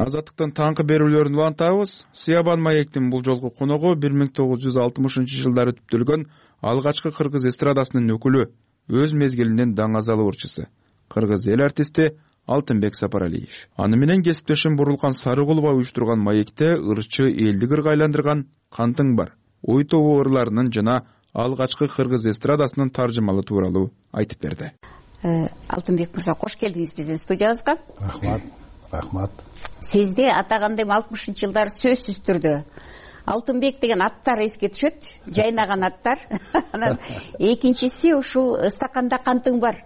Speaker 2: Азаттыктын таңкы берүүлөрүн улантабыз. Сиябан маектин бул жолку коногу 1960-жылдары түптөлгөн алгачкы кыргыз эстрадасынын өкүлү, өз мезгилинин даңазалуу ырчысы, кыргыз эл артисти Алтынбек Сапаралиев. Аны менен кесиптешим Бурулкан Сарыгулова уюштурган маекте ырчы элди кырга айландырган Кантың бар ой тобу ырларынын жана алгачкы кыргыз эстрадасынын таржымалы тууралуу айтып берди.
Speaker 16: Алтынбек мырза, кош келдиңиз биздин студиябызга.
Speaker 17: Рахмат.
Speaker 16: Сизди атагандай 60-жылдары сөзсүз түрдө Алтынбек деген аттар эске түшөт, жайнаган аттар. Анан экинчиси ушул стаканда кантың бар.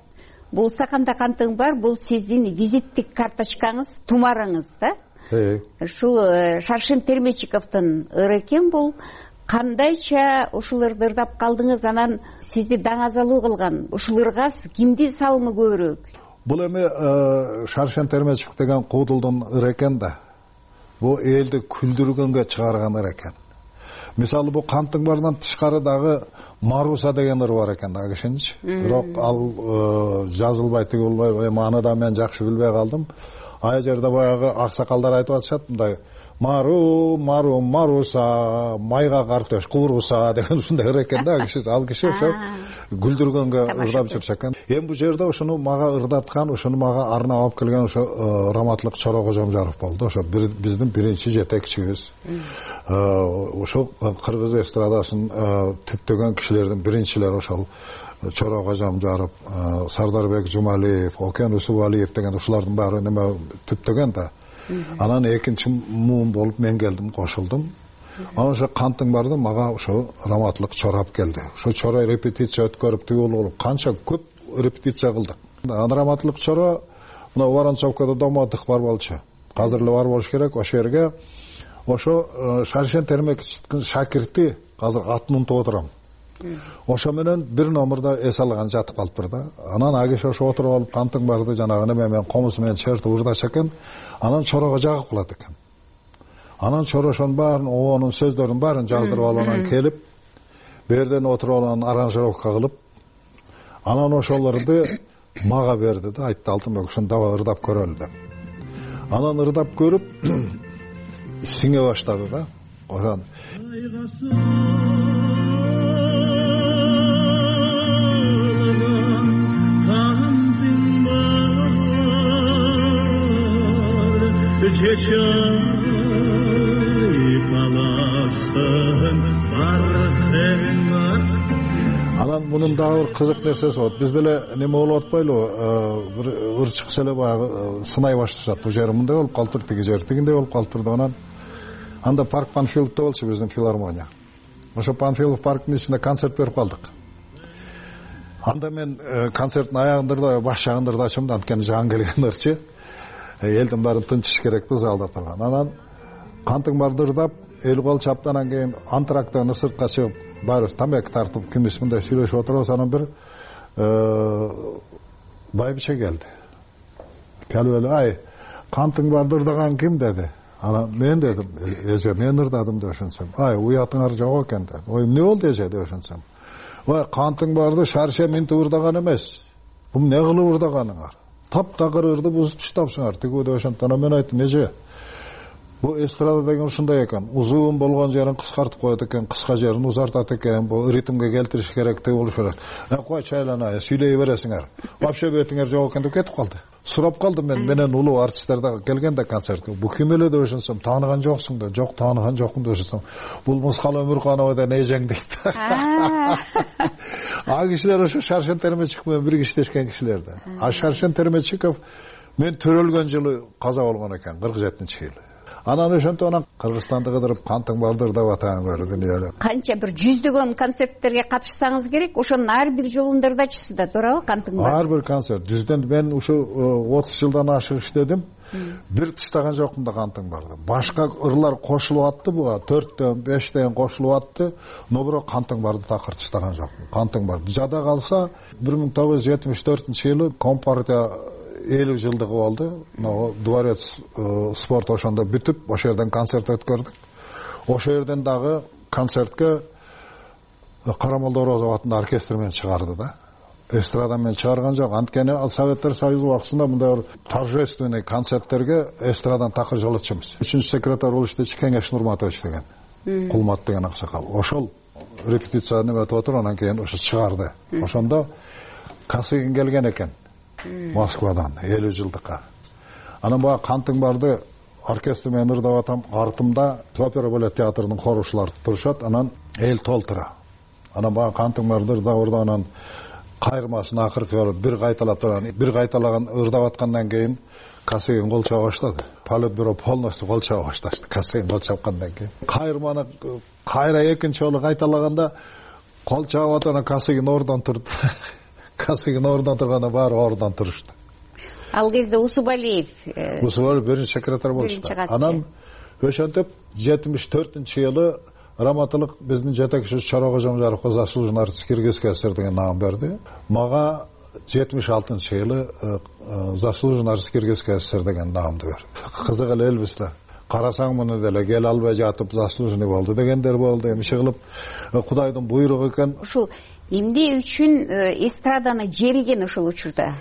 Speaker 16: Бул стаканда кантың бар, бул сиздин визиттик карточкаңыз, тумарыңыз да? Ушул Шаршен Термечиковдун ыры экен бул. Кандайча ушул ырды ырдап калдыңыз, анан сизди даңазалуу кылган ушул ырга кимдин салымы көбүрөөк?
Speaker 17: Бул эми Шаршен Термечиков деген куудулдун ыры экен да. Бул элди күлдүргөнгө чыгарган ыр экен. Мисалы бул Кантың бардан тышкары дагы Маруса деген ыр бар экен да кишинчи. Бирок ал жазылбай тигилбай, маны да мен жакшы билбей калдым. Ай жерде баягы аксакалдар айтып атышат мындай: Мару, Мару, Маруса, майга картөш кууруса деген ушундай ыр экен да киши. Ал киши ошо күлдүргөнгө ырдап жүрчү экен. Эми бул жерде ошону мага ырдаткан, ошону мага арнап алып келген ошо Раматлык Чора Кожомжаров болду. Ошо биздин биринчи жетекчибиз. Ошо кыргыз эстрадасынын түптөгөн кишилердин биринчилери ошол Чора Кожомжаров, Сардарбек Жумалиев, Окен Усубалиев деген ушулардын баары неме түптөгөн да. Анан экинчи муун болуп мен келдим, кошулдум. Анан ошо Кантың барды мага ошо Раматлык Чорап келди. Ошо Чора репетиция өткөрүп тигил болуп канча көп репетиция кылдык. Анан Раматлык Чора мына Воронцовкада домоддых бар болчу. Азыр эле бар болуш керек. Ошо жерге ошо Шаршен Термечиковдун шакирти азыр атын унутуп отурам. Ошо менен бир номерде эс алган жатып калыптыр да. Анан агиш ошо отуруп алып Кантың барды жанагы неме менен комуз менен чертип ырдаша экен. Анан Чорого жагып калат экен. Анан Чора ошонун баарын, оонун сөздөрүнүн баарын жаздырып алып анан келип, берден отуруп алып аранжировка кылып, анан ошолорду мага берди да, айтты: Алтынбек, ушуну дагы ырдап көрөлү деп. Анан ырдап көрүп сиңе баштады да. Ошон анан мунун дагы бир кызык нерсеси болот. Бизде эле неме болуп атпайлыбы? Бир ыр чыкса эле баягы сынай башташат. Бул жери мындай болуп калыптыр, тиги жери тигиндей болуп калыптыр деп. Анан анда парк Панфиловдо болчу биздин филармония. Ошо Панфилов парктын ичинде концерт берип калдык. Анда мен концерттин аягында баш жагында ырдачым да, анткени жаңы келген ырчы. Элдин баарын тынчыш керек да залда турган. Анан Кантың барды ырдап, эл кол чаптанан кийин антрактан сыртка чыгып, баарыбыз тамак тартып, кимис мындай сүйлөшүп отурабыз. Анан бир байбиче келди. Келип эле: "Ай, Кантың барды ырдаган ким?" деди. Анан мен дедим: "Эже, мен ырдадым" деп ошентсем. "Ай, уятыңар жок экен" деди. "Ой, эмне болду эже" деп ошентсем. "Ой, Кантың барды Шарше минтип ырдаган эмес. Бул эмне кылып ырдаганыңар? Таптакыр ырды бузуп таштапсыңар" тигүү деп ошентти. Анан мен айттым: "Эже, бул эстрада деген ушундай экен. Узун болгон жерин кыскартып коет экен, кыска жерин узартат экен. Бул ритмге келтириш керек деп болуш керек. Кой чайлана, сүйлөй бересиңер. Вообще бетиңер жок экен" деп кетип калды. Сурап калдым менен улуу артисттер да келгенде концертке. "Бул ким эле" деп ошентсем, "Тааныган жоксуң" деп. "Жок, тааныган жокмун" деп ошентсем, "Бул Мускал Өмүрканова да эжең" дейт. А кишилер ошо Шаршен Термечиков менен бирге иштешкен кишилер да. А Шаршен Термечиков мен төрөлгөн жылы каза болгон экен, 47-жылы. Анан ошентип анан Кыргызстанды кыдырып Кантың барды ырдап атаган көрдү дүйнөдө. Канча
Speaker 16: бир жүздөгөн концерттерге катышсаңыз керек, ошонун ар бир жолунда ырдачысыз да, туурабы Кантың барды?
Speaker 17: Ар бир концерт. Жүздөн мен ушу 30 жылдан ашык иштедим. Бир тыштаган жокмун да Кантың барды. Башка ырлар кошулуп атты буга, 4төн 5тен кошулуп атты, но бирок Кантың барды такыр тыштаган жокмун. Кантың барды жада калса 1974-жылы Компартия 50 жылдыгы болду. Дворец спорт ошондо бүтүп, ошол жерден концерт өткөрдүк. Ошол жерден дагы концертке Карамолдо Орозов атындагы оркестр менен чыгарды да. Эстрада менен чыгарган жок. Анткени ал Советтер Союзу убактысында мындай торжественный концерттерге эстрадан такыр жолотчумуз. 3-секретарь болуп иштечи Кеңеш Нурматович деген, Кулмат деген аксакал. Ошол репетицияны өтүп отуруп, анан кийин ошо чыгарды. Ошондо Касыгин келген экен. Москвадан 50 жылдыкка. Анан баягы кантың барды оркестр менен ырдап атам, артымда опера балет театрынын хорушулары турушат, анан эл толтура. Анан баягы кантың барды ырдап анан кайырмасын акыркы болуп бир кайталап турган, бир кайталаган ырдап аткандан кийин Касыгин кол чаба баштады. Политбюро полностью кол чаба башташты. Касыгин кол чапкандан кийин кайырманы кайра экинчи жолу кайталаганда кол чабып атып Касыгин ордон турду. Касыгин ордон турганда баары ордон турушту.
Speaker 16: Ал кезде Усубалиев
Speaker 17: биринчи секретарь болчу. Анан ошентип 74-жылы Раматылык биздин жетекчиси Чора Кожомжаровго заслуженный артист Кыргызской ССР деген наам берди. Мага 76-жылы заслуженный артист Кыргызской ССР деген наамды берди. Кызык эле элбиз да. Карасаң муну деле кел албай жатып заслуженный болду дегендер болду. Эмне кылып Кудайдын буйругу экен.
Speaker 16: Ушул эмне үчүн эстраданы жериген ошол учурда?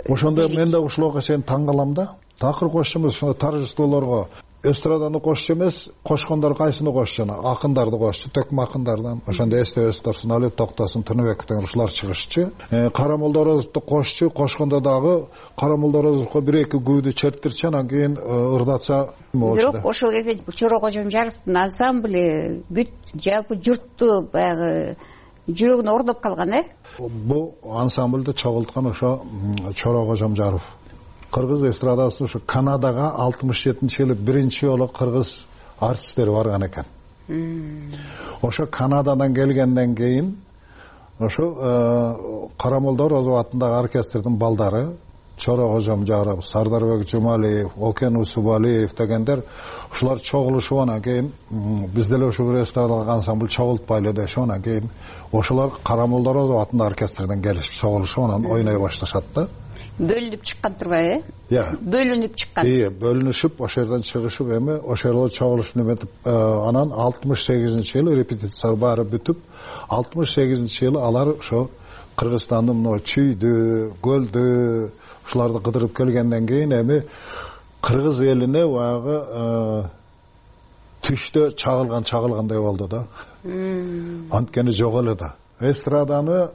Speaker 17: Ошондо мен да ушуларга чейин таң калам да. Такыр кошчу эмес, ошо торжестволорго эстраданы кошчу эмес, кошкондор кайсыны кошчу? Акындарды кошчу, төкмө акындардан. Ошондо эстебес турсун, Алек Токтосын, Тыныбек деген ушулар чыгышчу. Карамолдо Орозовду кошчу, кошкондо дагы Карамолдо Орозовго бир-эки күйдү чертирчи, анан кийин ырдатса болчу.
Speaker 16: Бирок ошол кезде Чора Кожомжаровдун ансамбль бүт жалпы журтту баягы жүрөгүнө ордоп калган,
Speaker 17: Бул ансамбльди чогулткан ошо Чора Кожомжаров. Кыргыз эстрадасы ошо Канадага 67-жылы биринчи жолу кыргыз артисттери барган экен. Ошо Канададан келгенден кийин ошо Карамолдо Орозов атындагы оркестрдин балдары Чора Кожомжаров, Сардарбек Жумалиев, Окен Усубалиев дегендер ушулар чогулушуп анан кийин биз деле ошо бир эстрадалык ансамбль чогултпайлы дешип анан кийин ошолор Карамолдо Орозов атындагы оркестрден келишип чогулушуп анан ойной башташат да.
Speaker 16: Бөлүнүп чыккан турбайбы? Бөлүнүп чыккан.
Speaker 17: Бөлүнүшүп ошол жерден чыгышып эми ошол жерде чогулушуп неметип анан 68-жылы репетициялар баары бүтүп 68-жылы алар ошо Кыргызстандын мына чүйдү, көлдү ушуларды кыдырып келгенден кийин эми кыргыз элине баягы түштө чагылгандай болду да. Анткени жок эле да. Эстраданы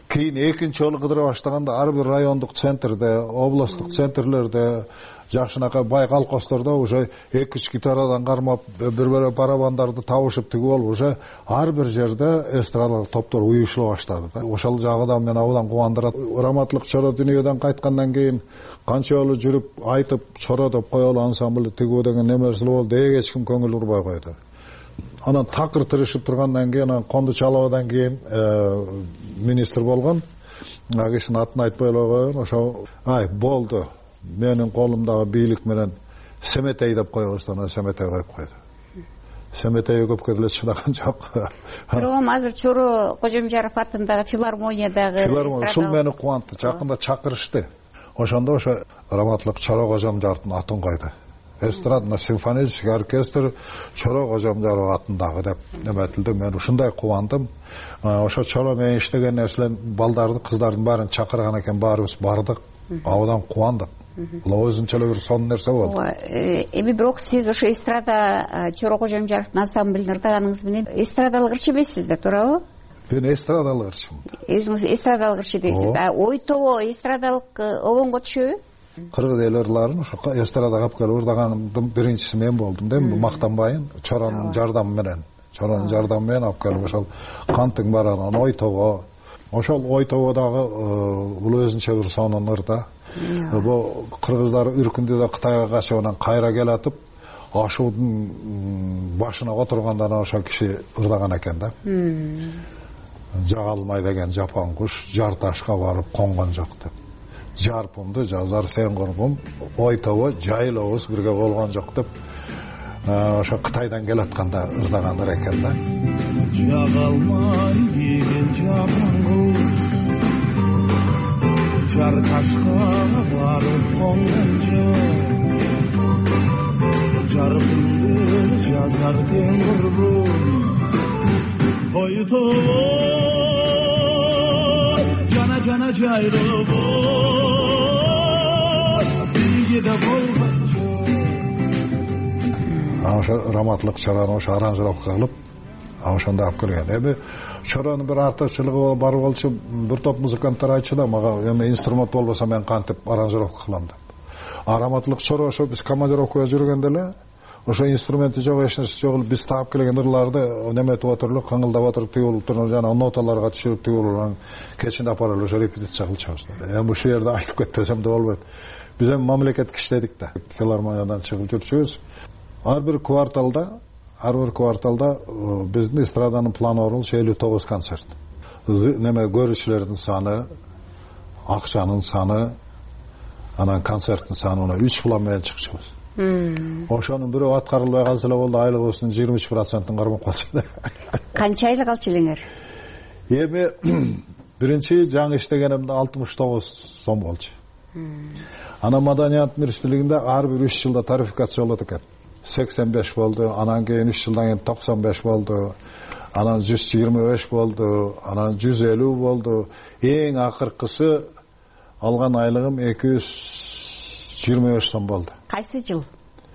Speaker 17: кийин экинчи жолу кыдыра баштаганда ар бир райондук центрде, областтык центрлерде, жакшынакай бай колхоздордо уже 2-3 гитарадан кармап, бир барабандарды табышып тигип болуп, уже ар бир жерде эстрадалык топтор уюшула баштады да. Ошол жагыдан мен абдан кубандырат. Раматылык Чора дүйнөдөн кайткандан кийин канча жолу жүрүп айтып Чора деп коелу ансамбль тигүү деген немерсе болду, эч ким көңүл бурбай койду. Анан такыр тырышып тургандан кийин, анан Конду Чалабадан кийин министр болгон. Кишинин атын айтпай эле коеюн. Ошо болду. Менин колумдагы бийлик менен Семетей деп койбостон, анан Семетей коюп койду. Семетей көпкө деле чыдаган жок.
Speaker 16: Бирок азыр Чора Кожомжаров атындагы филармониядагы
Speaker 17: ушул мени кубантты. Жакында чакырышты. Ошондо ошо Раматылык Чора Кожомжаровдун атын койду. Эстрадно-симфонический оркестр Чора Кожомжаров атындагы деп неметилди. Мен ушундай кубандым. Ошо Чора менен иштеген нерселер балдарды, кыздардын баарын чакырган экен, баарыбыз бардык. Абдан кубандык. Бул өзүнчө эле бир сонун нерсе болду.
Speaker 16: Эми бирок сиз ошо эстрада Чора Кожомжаровдун ансамблин ырдаганыңыз менен эстрадалык ырчы эмессиз да, туурабы?
Speaker 17: Мен эстрадалык ырчымын.
Speaker 16: Өзүңүз эстрадалык ырчы дейсиз. Ойтобо эстрадалык обонго түшөбү?
Speaker 17: Кыргыз эл ырларын ошо эстрадага алып келип ырдагандын биринчиси мен болдум да. Мактанбайын, Чоранын жардамы менен. Чоранын жардамы менен алып келип ошол Кантың бар анан Ойтобо. Ошол Ойтободагы бул өзүнчө бир сонун ырда. Бул кыргыздар үркүндүдө Кытайга качып анан кайра келатып, ашуудун башына отурганда ошо киши ырдаган экен да. Жагалмай деген жапан куш жар ташка барып конгон жок деп. Жарпымды жазар сен кургум, Ойтобо жайлообуз бирге болгон жок деп ошо Кытайдан келатканда ырдагандар экен да. Жагалмай деген жапан куш жар ташка барып конгон жок, жарпымды жазар сен кургум, Ойтобо жана жайлообуз ошо Раматылык Чораны ошо аранжировка кылып ошондо алып келген. Эми чоронун бир артыкчылыгы бар болчу, бир топ музыканттар айтчу да мага, эми инструмент болбосо мен кантип аранжировка кылам деп. Раматылык чоро ошо биз командировкага жүргөндө эле ошо инструменти жок, эч нерсе жок, биз таап келген ырларды неметип отуруп, каңылдап отуруп, тигип туруп, жана ноталарга түшүрүп тигип, кечинде апарып ошо репетиция кылчабыз. Эми ушул жерде айтып кетпесем да болбойт. Биз эми мамлекеттик иштедик да. Филармониядан чыгып жүрчүбүз. Ар бир кварталда биздин эстраданын планы бар болчу 59 концерт. Неме көрүүчүлөрдүн саны, акчанын саны, анан концерттин саны 3 план менен чыкчубуз. Ошонун бирөө аткарылбай калса эле болду, айлыгыбыздын 23%-ын кармап калчу.
Speaker 16: Канча айлык алчу элеңер?
Speaker 17: Эми биринчи жаңы иштегенимде 69 сом болчу. Анан Маданият министрлигинде ар бир 3 жылда тарификация болот экен. 85 болду, анан кийин 3 жылдан кийин 95 болду, анан 125 болду, анан 150 болду. Эң акыркысы алган айлыгым 225 сом болду.
Speaker 16: Кайсы жыл?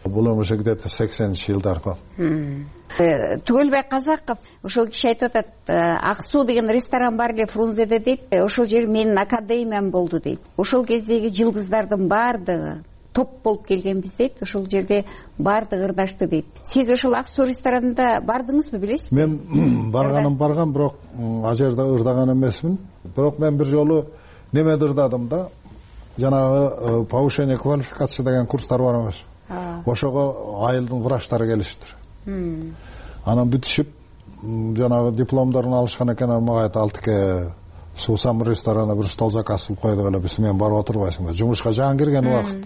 Speaker 17: Бул уже где-то 80-жылдар го.
Speaker 16: Түгөлбай Казаков ошол киши айтып атат, Ак суу деген ресторан бар эле Фрунзеде дейт, ошол жер менин академиям болду дейт. Ошол кездеги жылдыздардын баардыгы топ болуп келгенбиз дейт, ошол жерде баардыгы ырдашты дейт. Сиз ошол Ак суу ресторанында бардыңызбы, билесизби?
Speaker 17: Мен барган, бирок ал жерде ырдаган эмесмин. Бирок мен бир жолу немеде ырдадым да, жанагы повышение квалификации деген курстар бар эмес. Ошого айылдын врачтары келиштир. Анан бүтүшүп, жанагы дипломдорун алышкан экен, мага айтты, Алтыке, суусам ресторанга бир стол заказ кылып койдук эле, биз менен барып отурбайсыңбы? Жумушка жаңы кирген убакыт.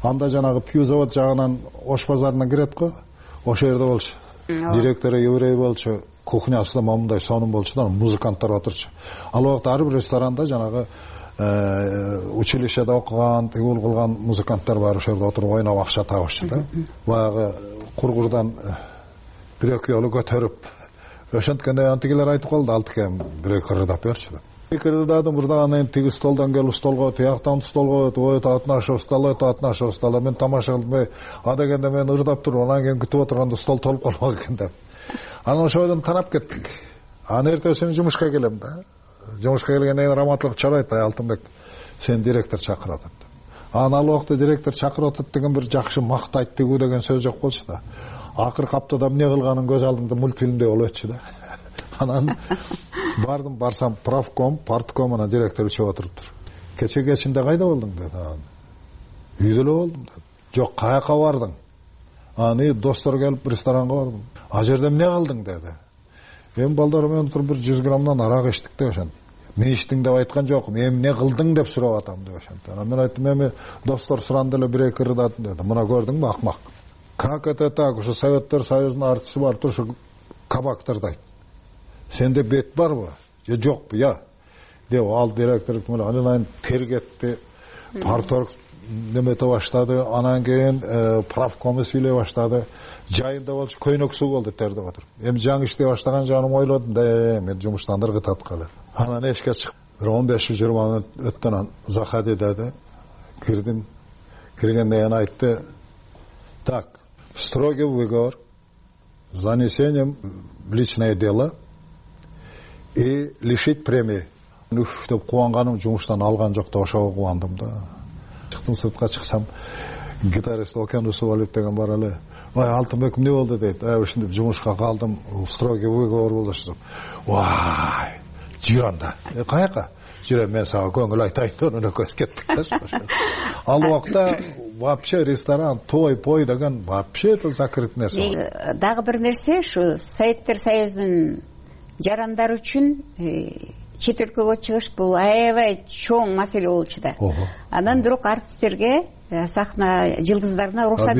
Speaker 17: Анда жанагы пью завод жагынан Ош базарына кирет го, ошол жерде болчу. Директору еврей болчу, кухнясы да момундай сонун болчу да, музыканттар отурчу. Ал убакта ар бир ресторанда жанагы училищеде окуган, тигил кылган музыканттар бар, ошол жерде отуруп ойноп акча табышчу да. Баягы кургурдан бир-эки жолу көтөрүп, ошонткенде антигилер айтып калды, Алтыке, бир-эки ырдап берчи деп. Ырдадым, ырдагандан тиги столдон келип столго, тияктан столго, ой татнашып стол, мен тамаша кылбай, а дегенде мен ырдап туруп, анан кийин күтүп отурганда стол толуп калмак экен деп. Анан ошодон тарап кеттик. Анан эртесин жумушка келем да. Жумушка келгенден кийин Раматылык чарайт, Алтынбек, сен директор чакырып атат. Анан ал убакта директор чакырып атат деген бир жакшы мактайт тигүү деген сөз жок болчу да. Акыркы аптада эмне кылганын көз алдымда мультфильмде болуп өтчү да. Анан барсам правком, партком, анан директор үчөө отуруптур. Кечинде кайда болдуң деди. Үйдө эле болдум деди. Жок, каяка бардың? Аны достор келип ресторанга бардым. А жерде эмне кылдың деди. Мен балдар менен туруп бир 100 граммдан арак иштик деп ошон. Мен иштиң деп айткан жокмун, эмне кылдың деп сурап атам деп ошон. Анан мен айттым, эми достор суранды эле бир-эки ырдадым деди. Мына көрдүңбү, акмак. Как это так? Ушу Советтер Союзунун артисти бар, турушу кабактырдайт. Сенде бет барбы? Же жокпу, я? Деп ал директор анан тергетти, парторг немете баштады, анан кийин правком сүйлөй баштады. Жайында болчу, көйнөк суу болду тердеп отуруп. Эми жаңы иштей баштаган жаным ойлодум да, мен жумуштан ыргытат калып. Анан эшикке чыктым. 15-20 мүнөт өттөн заходи деди. Кирдим. Киргенден кийин айтты: "Так, строгий выговор, занесением в личное дело и лишить премии." Үф деп кубанганым, жумуштан алган жок да, ошого кубандым да. Чыктым, сыртка чыксам, гитарист Окен Усубалиев деген бар эле. Ой, Алтынбек эмне болду дейт. Ушинтип жумушка калдым, строгий выговор болду деп. Вай, жүр анда. Каяка? Жүрөм, мен сага көңүл айтайын деп өнөкөз кеттик да. Ал убакта вообще ресторан, той деген вообще это закрыт нерсе.
Speaker 16: Дагы бир нерсе, ушу Советтер Союзунун жарандары үчүн чет өлкөгө чыгыш бул аябай чоң маселе болчу да. Анан бирок артисттерге, сахна жылдыздарына уруксат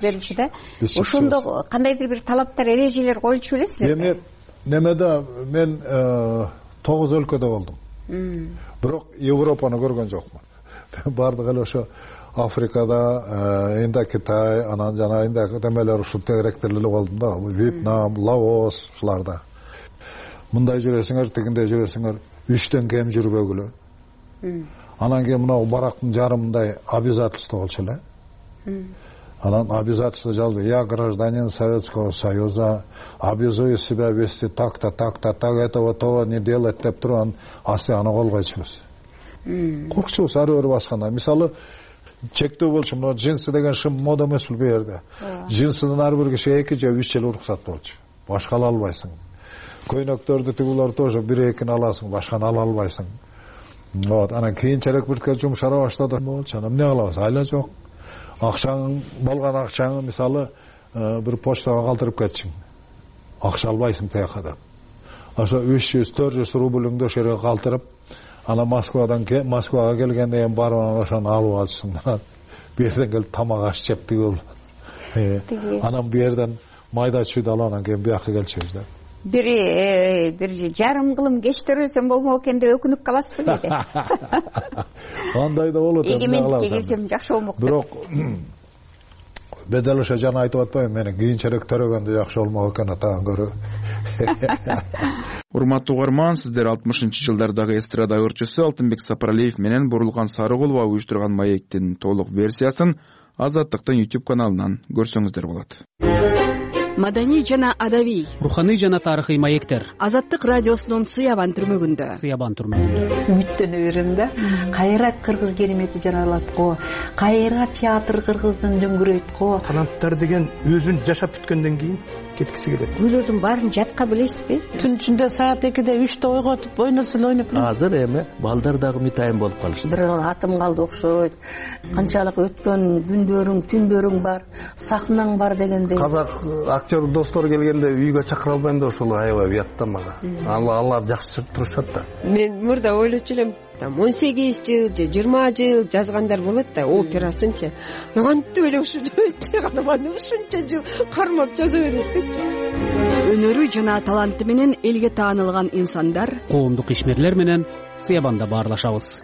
Speaker 16: берилчү да. Ошондо кандайдыр бир талаптар, эрежелер коюлчу белесизби?
Speaker 17: Эми немеде мен 9 өлкөдө болдум. Бирок Европаны көргөн жокмун. Бардыгы эле ошо Африкада, Индокитай, анан жана Индокитемелер ушул тегеректер эле болдум да. Вьетнам, Лаос ушуларда. Мындай жүрөсүңөр, тигиндей жүрөсүңөр, 3төн кем жүрбөгүлө. Анан кийин мына барактын жарымындай обязательство болчу эле. Анан обязательно жазды: я гражданин Советского Союза, обязую себя вести так-то, так-то, так, этого того не делать деп туруп анан асты аны колгойчубуз. Коркчубуз ар бир басканда. Мисалы чектөө болчу, мына джинсы деген шым мода эмес бул жерде. Джинсыдан ар бир кишиге 2 же 3 жыл уруксат болчу. Башка ала албайсың. Көйнөктөрдү тигулар тоже 1-2 аласың, башканы ала албайсың. Вот, анан кийинчерээк бирке жумшара баштады. Болчу, анан эмне кылабыз? Айла жок. Акчаң болгон акчаңы мисалы бир почтага калтырып кетчиң. Акча албайсың тияка деп. Ошо 300-400 рубльыңды ошо жерге калтырып, ана Москвага келгенде кийин барып ошону алып алчысың. Бу жерден келип тамак аш жеп тигил. Анан бу жерден майда чүйдү алып анан кийин бияка келчүбүз да.
Speaker 16: Бир жарым кылым кеч төрөлсөм болмок экен деп өкүнүп каласыз беле?
Speaker 17: Андай да болот.
Speaker 16: Эгемендикке келсем жакшы болмок деп.
Speaker 17: Бирок бедел ошо жана айтып атпайбы, мени кийинчерээк төрөгөндө жакшы болмок экен атаган көрө.
Speaker 2: Урматтуу угарман, сиздер 60-жылдардагы эстрада ырчысы Алтынбек Сапаралиев менен Бурулган Сарыгулова уюштурган маектин толук версиясын Азаттыктын YouTube каналынан көрсөңүздөр болот.
Speaker 18: Маданий жана адабий,
Speaker 10: руханий жана тарыхый маектер
Speaker 18: Азаттык радиосунун Сыябан түрмөгүндө.
Speaker 19: Үмүттөнө берем да. Кайра кыргыз керемети жаралат го, кайра театр кыргыздын дөңгүрөйт го.
Speaker 20: Таланттар деген өзүн жашап бүткөндөн кийин кеткиси келет.
Speaker 16: Күйлөрдүн баарын жатка билесизби?
Speaker 19: Түн ичинде саат 2-де 3-те ойготуп ойносо эле ойноп.
Speaker 20: Азыр эми балдар дагы үмүтайым болуп калышты.
Speaker 19: Бир атым калды окшойт. Канчалык өткөн күндөрүң, түндөрүң бар, сахнаң бар дегендей.
Speaker 20: Казак актер достор келгенде үйгө чакыра албайм да ошол аябай уят да мага. Алар жакшы турушат да.
Speaker 21: Мен мурда ойлочу элем, 18 жыл же 20 жыл жазгандар болот да, операсынчы. Кантип эле ушунча жыл кармап жаза берет депчи.
Speaker 18: Өнөрү жана таланты менен элге таанылган инсандар,
Speaker 10: коомдук ишмерлер менен Сыябанда баарлашабыз.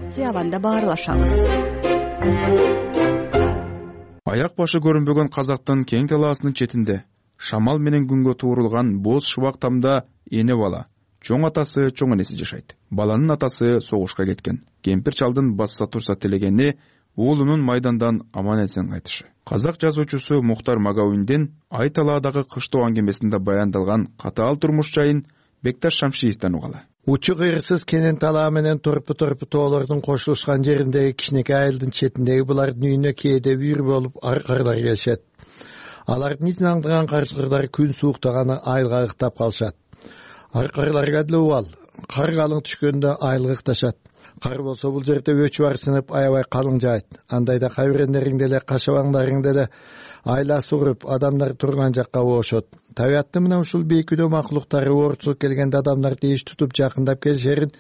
Speaker 2: Аяк башы көрүнбөгөн казактын кең талаасынын четинде шамал менен күнгө туурулган боз шыбак тамда эне бала, чоң атасы, чоң энеси жашайт. Баланын атасы согушка кеткен. Кемпир чалдын басса турса телегени уулунун майдандан аман эсен кайтышы. Казак жазуучусу Мухтар Магауиндин Ай талаадагы кыштоо аңгемесинде баяндалган катаал турмуш жайын Бекташ Шамшиевден угалы.
Speaker 22: Учу кыйрсыз кенен талаа менен торпу тоолордун кошулушкан жериндеги кичинекей айылдын четиндеги булардын үйүнө кээде үйүр болуп аркарлар келишет. Алардын итин аңдыган карчыгырлар күн сууктаганы айылга ыктап калышат. Аркарларга деле убал, кар калың түшкөндө айылга ыкташат. Кар болсо бул жерде өчү бар сынып аябай калың жаайт. Андайда кайбирендериң деле кашабаңдарың деле айла суруп адамдар турган жакка оошот. Табиаттын мына ушул бейкүнөө макулуктары оорчулук келгенде адамдарды иш тутуп жакындап келишерин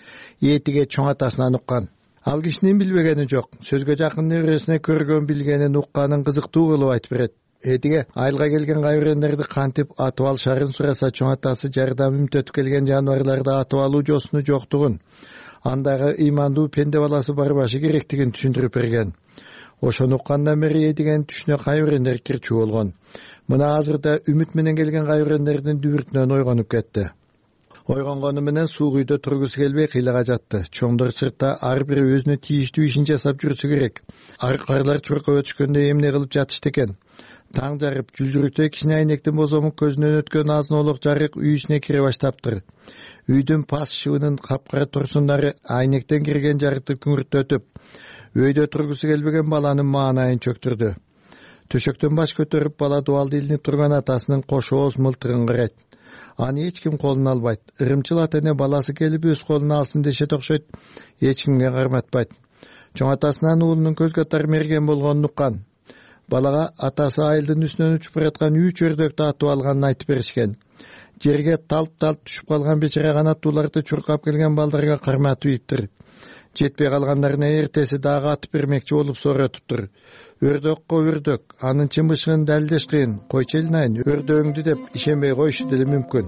Speaker 22: этиге чоң атасынан уккан. Ал кишинин билбегени жок. Сөзгө жакын небересине көргөн билгенин укканын кызыктуу кылып айтып берет. Этиге айылга келген кайбирендерди кантип атып алышарын сураса чоң атасы жардам үмүттөтүп келген жаныбарларды атып алуу жосуну жоктугун, андагы ыймандуу пенде баласы барбашы керектигин түшүндүрүп берген. Ошону уккандан бери этиген түшүнө кайбирендер кирчүү болгон. Мына азырда үмүт менен келген кайбирендердин дүбүртүнөн ойгонуп кетти. Ойгонгону менен суук үйдө тургусу келбей кыйлага жатты. Чоңдор сыртта ар бири өзүнө тийиштүү ишин жасап жүрсү керек. Аркарлар чуркап өтүшкөндө эмне кылып жатышты экен? Таң жарып, жүлдүрүктөй кичине айнектин бозомук көзүнөн өткөн азын-олук жарык үй ичине кире баштаптыр. Үйдүн пас шыбынын капкара турсундары айнектен кирген жарыкты күңүртөтүп, өйдө тургусу келбеген баланын маанайын чөктүрдү. Төшөктөн баш көтөрүп бала дубалды илинип турган атасынын кош ооз мылтыгын карайт. Аны эч ким колуна албайт. Ырымчыл ата эне баласы келип өз колуна алсын дешет окшойт, эч кимге карматпайт. Чоң атасынан уулунун көзгө тар мерген болгонун уккан. Балага атасы айылдын үстүнөн учуп бараткан 3 өрдөктү атып алганын айтып беришкен. Жерге талп-талп түшүп калган бечара канаттууларды чуркап келген балдарга карматып ийиптир. Жетпей калгандарына эртеси дагы атып бермекчи болуп сооротуптур. Өрдөккө өрдөк, анын чымбышыгын далилдеш кыйын. Койчу элинайын, өрдөөңдү деп ишенбей коюшу деле мүмкүн.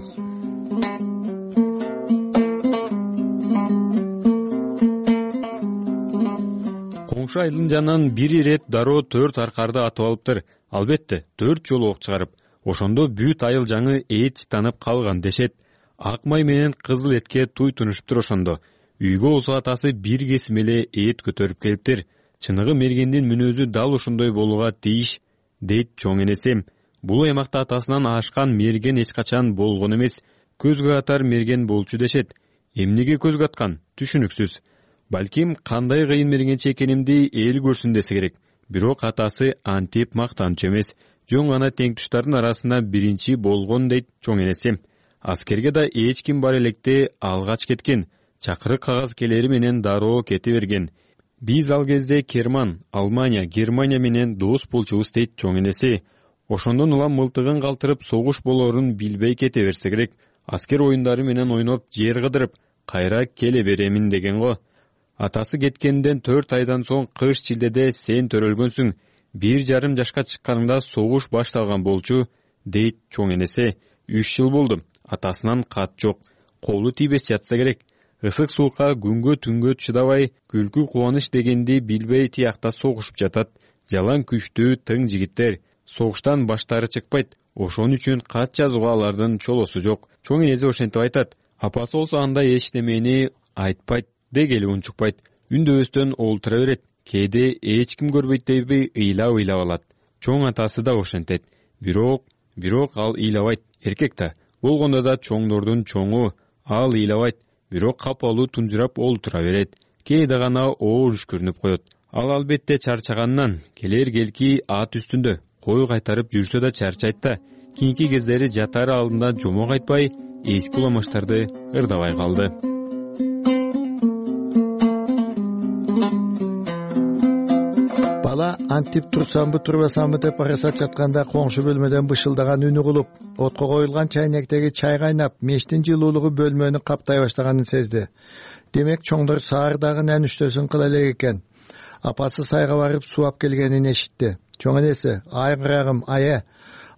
Speaker 23: Коңшу айылдын жанынан бир ирет дароо 4 аркарды атып алыптыр. Албетте 4 жолу ок чыгарып. Ошондо бүт айыл жаңы эт чытанып калган дешет. Ак май менен кызыл этке туй тунушуптур ошондо. Үйгө болсо атасы бир кесим эле эт көтөрүп келиптир. Чыныгы мергендин мүнөзү дал ошондой болууга тийиш. дейт чоң энеси. Бул аймакта атасынан ашкан мерген эч качан болгон эмес. Көзгө атар мерген болчу дешет. Эмнеге көзгө аткан? Түшүнүксүз. Балким кандай кыйын мергенчи экенимди эл көрсүн десе керек. Бирок атасы антип мактанчу эмес. Жөн гана теңтуштардын арасында биринчи болгон дейт чоң энеси. Аскерге да эч ким бар электе алгач кеткен. Чакырык кагаз келери менен дароо кете берген. Биз ал кезде Керман, Алмания, Германия менен дос болчубуз дейт чоң энеси. Ошондон улам мылтыгын калтырып согуш болорун билбей кете берсе керек. Аскер оюндары менен ойноп, жер кыдырып, кайра келе беремин деген го. Атасы кеткенден 4 айдан соң кыш чилдеде сен төрөлгөнсүң. 1,5 жашка чыкканыңда согуш башталган болчу, дейт чоң энеси. 3 жыл болду. Атасынан кат жок. Колу тийбес жатса керек. Ысык суукка күнгө түнгө чыдабай, күлкү кубаныч дегенди билбей тиякта согушуп жатат. Жалаң күчтүү тың жигиттер. Согуштан баштары чыкпайт. Ошон үчүн кат жазууга алардын чолосу жок. Чоң энеси ошентип айтат. Апасы болсо андай эчтемени айтпайт, дегели унчукпайт. Үндөбөстөн олтура берет. Кээде эч ким көрбөйт дейби ыйлап алат. Чоң атасы да ошентет. Бирок ал ыйлабайт. Эркек да. Болгондо да чоңдордун чоңу. Ал ыйлабайт. Бирок капалуу тунжурап олтура берет. Кээде гана оор үшкүрүнүп коет. Ал албетте чарчагандан келер-келки ат үстүндө. Кой кайтарып жүрсө да чарчайт да. Кийинки кездери жатары алдында жомок айтпай, эски уламаштарды ырдабай калды.
Speaker 22: Бала антип турсамбы турбасамбы деп арасат жатканда коңшу бөлмөдөн бышылдаган үн угулуп, отко коюлган чайнектеги чай кайнап, мештин жылуулугу бөлмөнү каптай баштаганын сезди. Демек чоңдор саардагы нәнүштөсүн кыла элек экен. Апасы сайга барып сууап келгенин эшитти. Чоң энеси: "Ай кырагым, ае,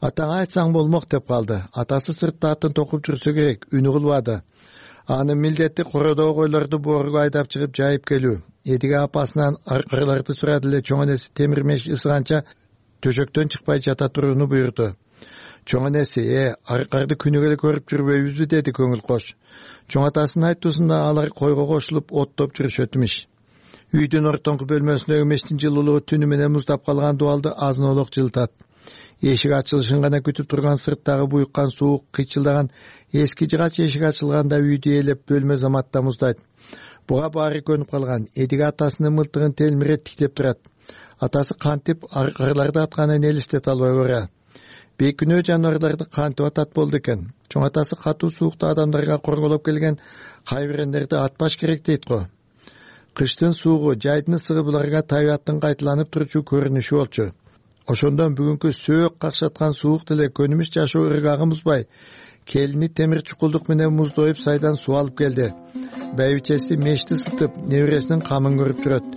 Speaker 22: атаңа айтсаң болмок" деп калды. Атасы сыртта атын токуп жүрсө керек, үн угулбады. Анын милдети кородоо койлорду боорго айдап чыгып жайып келүү. Эдиге апасынан аркырларды сурады эле чоң энеси темир меш ысыганча төшөктөн чыкпай жата турууну буйрду. Чоң энеси: аркарды күнүгө эле көрүп жүрбөйбүзбү" деди көңүл кош. Чоң атасынын айтуусунда алар койго кошулуп оттоп жүрүшөт имиш. Үйдүн ортоңку бөлмөсүндөгү мештин жылуулугу түнү менен муздап калган дубалды азын-олок жылытат. Эшик ачылышын гана күтүп турган сырттагы буйуккан суук кыйчылдаган эски жыгач эшик ачылганда үйдү ээлеп бөлмө заматта муздайт. Буга баары көнүп калган. Эдиге атасынын мылтыгын телмире тиктеп турат. Атасы кантип аркырларды атканын элестете албай бара. Бейкүнөө жаныбарларды кантип атат болду экен. Чоң атасы катуу суукта адамдарга корголоп келген кайбирендерди атпаш керек дейт го. Кыштын суугу, жайдын ысыгы буларга табиаттын кайталанып турчу көрүнүшү болчу. Ошондон бүгүнкү сөөк какшаткан суук деле көнүмүш жашоо ыргагын бузбай, келини темир чукулдук менен музду оюп сайдан суу алып келди. Байбичеси мешти ысытып, небересинин камын көрүп жүрөт.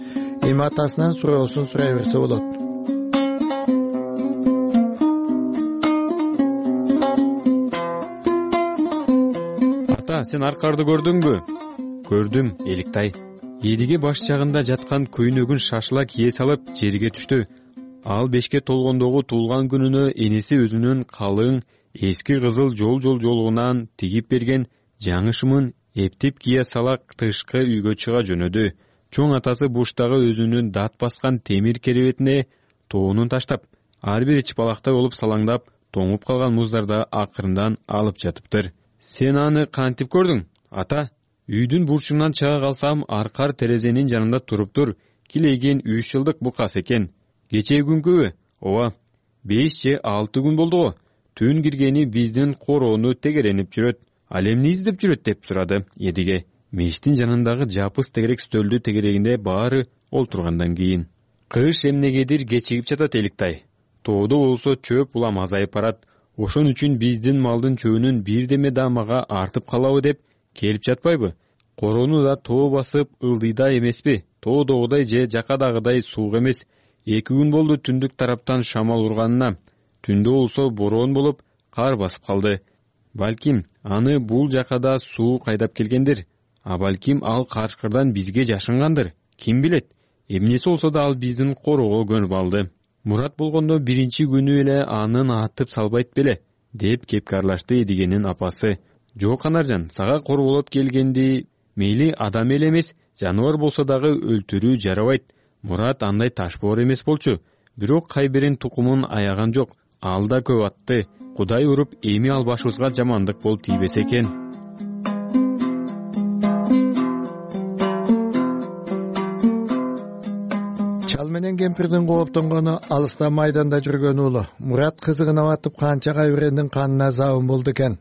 Speaker 22: Эми атасынан суроосун сурай берсе болот.
Speaker 23: Ата, сен аркарды көрдүңбү? Көрдүм, Эликтай. Эдиге баш жагында жаткан көйнөгүн шашыла кие салып жерге түштү. Ал 5ке толгондогу туулган күнүнө энеси өзүнүн калың эски кызыл жолугунан тигип берген жаңы шымын эптеп кие сала тышкы үйгө чыга жөнөдү. Чоң атасы буштагы өзүнүн дат баскан темир керебетине тоонун таштап, ар бир чыпалактай болуп салаңдап, тоңуп калган муздарды акырындан алып жатыптыр. Сен аны кантип көрдүң, ата? Үйдүн бурчунан чыга калсам, аркар терезенин жанында туруптур. Килеген 3 жылдык букас экен. Кечээ күнкүбү? Ооба, 5 же 6 күн болду го. Түн киргени биздин короону тегеренип жүрөт. Ал эмне издеп жүрөт деп сурады Эдиге. Мештин жанындагы жапыс тегерек стөлдү тегерегинде баары олтургандан кийин. Кыш эмнегедир кечигип жатат, Эликтай. Тоодо болсо чөп улам азайып барат. Ошон үчүн биздин малдын чөбүнүн бирдеме да мага артып калабы деп келип жатпайбы? Короону да тоо басып ылдыйда эмеспи? Тоодогудай же жакадагыдай суук эмес. 2 күн болду түндүк тараптан шамал урганына. Түндө болсо бороон болуп, кар басып калды. Балким аны бул жакада суу кайдап келгендир. А балким ал каршкырдан бизге жашынгандыр. Ким билет? Эмнеси болсо да ал биздин короого көнүп алды. Мурат болгондо биринчи күнү эле анын атып салбайт беле, деп кепкарлашты Эдигенин апасы. Жок Анаржан, сага корголоп келгенди мейли адам эле эмес, жаныбар болсо дагы өлтүрүү жарабайт. Мурат андай ташбоор эмес болчу. бирок кайбирин тукумун аяган жок. Ал да көп атты. Кудай уруп, эми ал башыбызга жамандык болуп тийбесе экен.
Speaker 22: Чал менен кемпирдин кооптонгону алыста майданда жүргөн уулу Мурат кызыгына батып канча кайбирендин канына забын болду экен.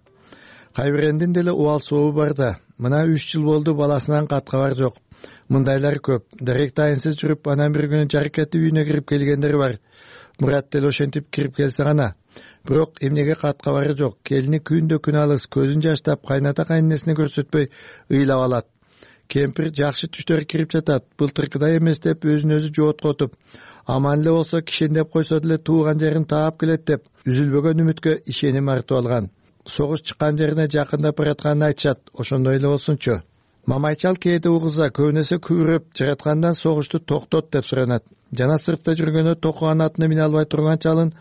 Speaker 22: Кайбирендин деле убал сообу бар да. Мына 3 жыл болду баласынан кат кабар жок. Мындайлар көп. Дарек тайынсыз жүрүп, анан бир күнү жаракетти үйүнө кирип келгендер бар. Мурат деле ошентип кирип келсе гана. Бирок эмнеге кат кабары жок. Келини күндө күн алыс, көзүн жаштап, кайната кайненесине көрсөтпөй ыйлап алат. Кемпир жакшы түштөр кирип жатат. Былтыркыдай эмес деп өзүн өзү жооткотуп, аман эле болсо кишендеп койсо деле тууган жерин таап келет деп үзүлбөгөн үмүткө ишеним артып алган. Согуш чыккан жерине жакындап баратканын айтышат. Ошондой эле болсунчу. Мамайчал кээде угуза көбүнесе күбүрөп, жараткандан согушту токтот деп суранат. Жана сыртта жүргөндө токуган атына мине албай турган чалын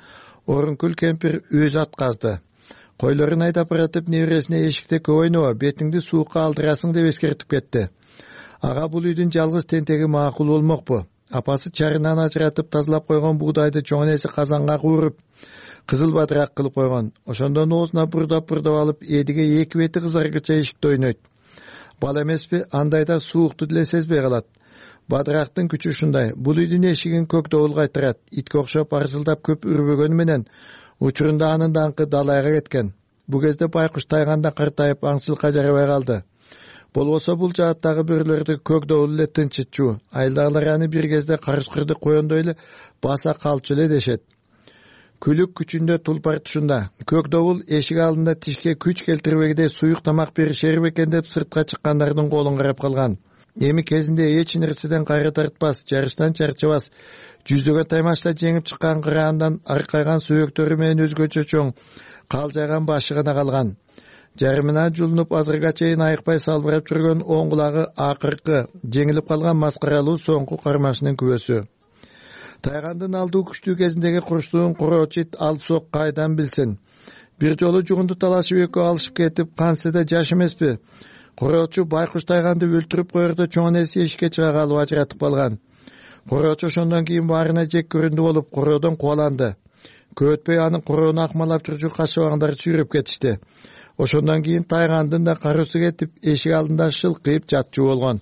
Speaker 22: Орункүл кемпир өзү атказды. Койлорун айдап баратып небересине эшикте көп ойноба, бетиңди суукка алдырасың деп эскертип кетти. Ага бул үйдүн жалгыз тентеги макул болмокпу. Апасы чарынан ажыратып тазалап койгон буудайды чоң энеси казанга кууруп, кызыл бадырак кылып койгон. Ошондон оозуна бурдап алып, эдиге эки бети кызаргыча эшикте ойнойт. Бала эмеспи, андайда суукту деле сезбей калат. Бадырактын күчү ушундай. Бул үйдүн эшигин көк добул кайтырат. Итке окшоп арсылдап көп үрбөгөнү менен учурунда анын даңкы далайга кеткен. Бу кезде байкуш тайганда картайып аңчылыкка жарабай калды. Болбосо бул жааттагы бөрөлөрдү көк добул эле тынчытчу. Айылдагылар аны бир кезде карышкырды коёндой эле баса калчу эле дешет. Күлүк күчүндө тулпар тушунда. Көк добул эшик алдында тишке күч келтирбегидей суюк тамак беришер бекен деп сыртка чыккандардын колун карап калган. Эми кезинде эч нерседен кайры тартпас, жарыштан чарчабас, жүздөгөн таймашта жеңип чыккан кыраандан аркайган сүйөктөрү менен өзгөчө чоң калжайган башы гана калган. Жарымына жулунуп азырга чейин айыкпай салбырап жүргөн оң кулагы акыркы жеңилип калган маскаралуу соңку кармашынын күбөсү. Тайгандын алдуу күчтүү кезиндеги курчтугун куроочит алып сок кайдан билсин. Бир жолу жугунду талашып экөө алышып кетип, канседе жаш эмеспи. Куроочу байкуш тайганды өлтүрүп коерде чоң энеси эшикке чыга калып ажыратып калган. Куроочу ошондон кийин баарына жек көрүндү болуп куроодон кубаланды. Көп өтпөй анын куроону акмалап жүрчү кашыбаңдар сүйрөп кетишти. Ошондон кийин тайгандын да карысы кетип, эшик алдында шылкыйып жатчу болгон.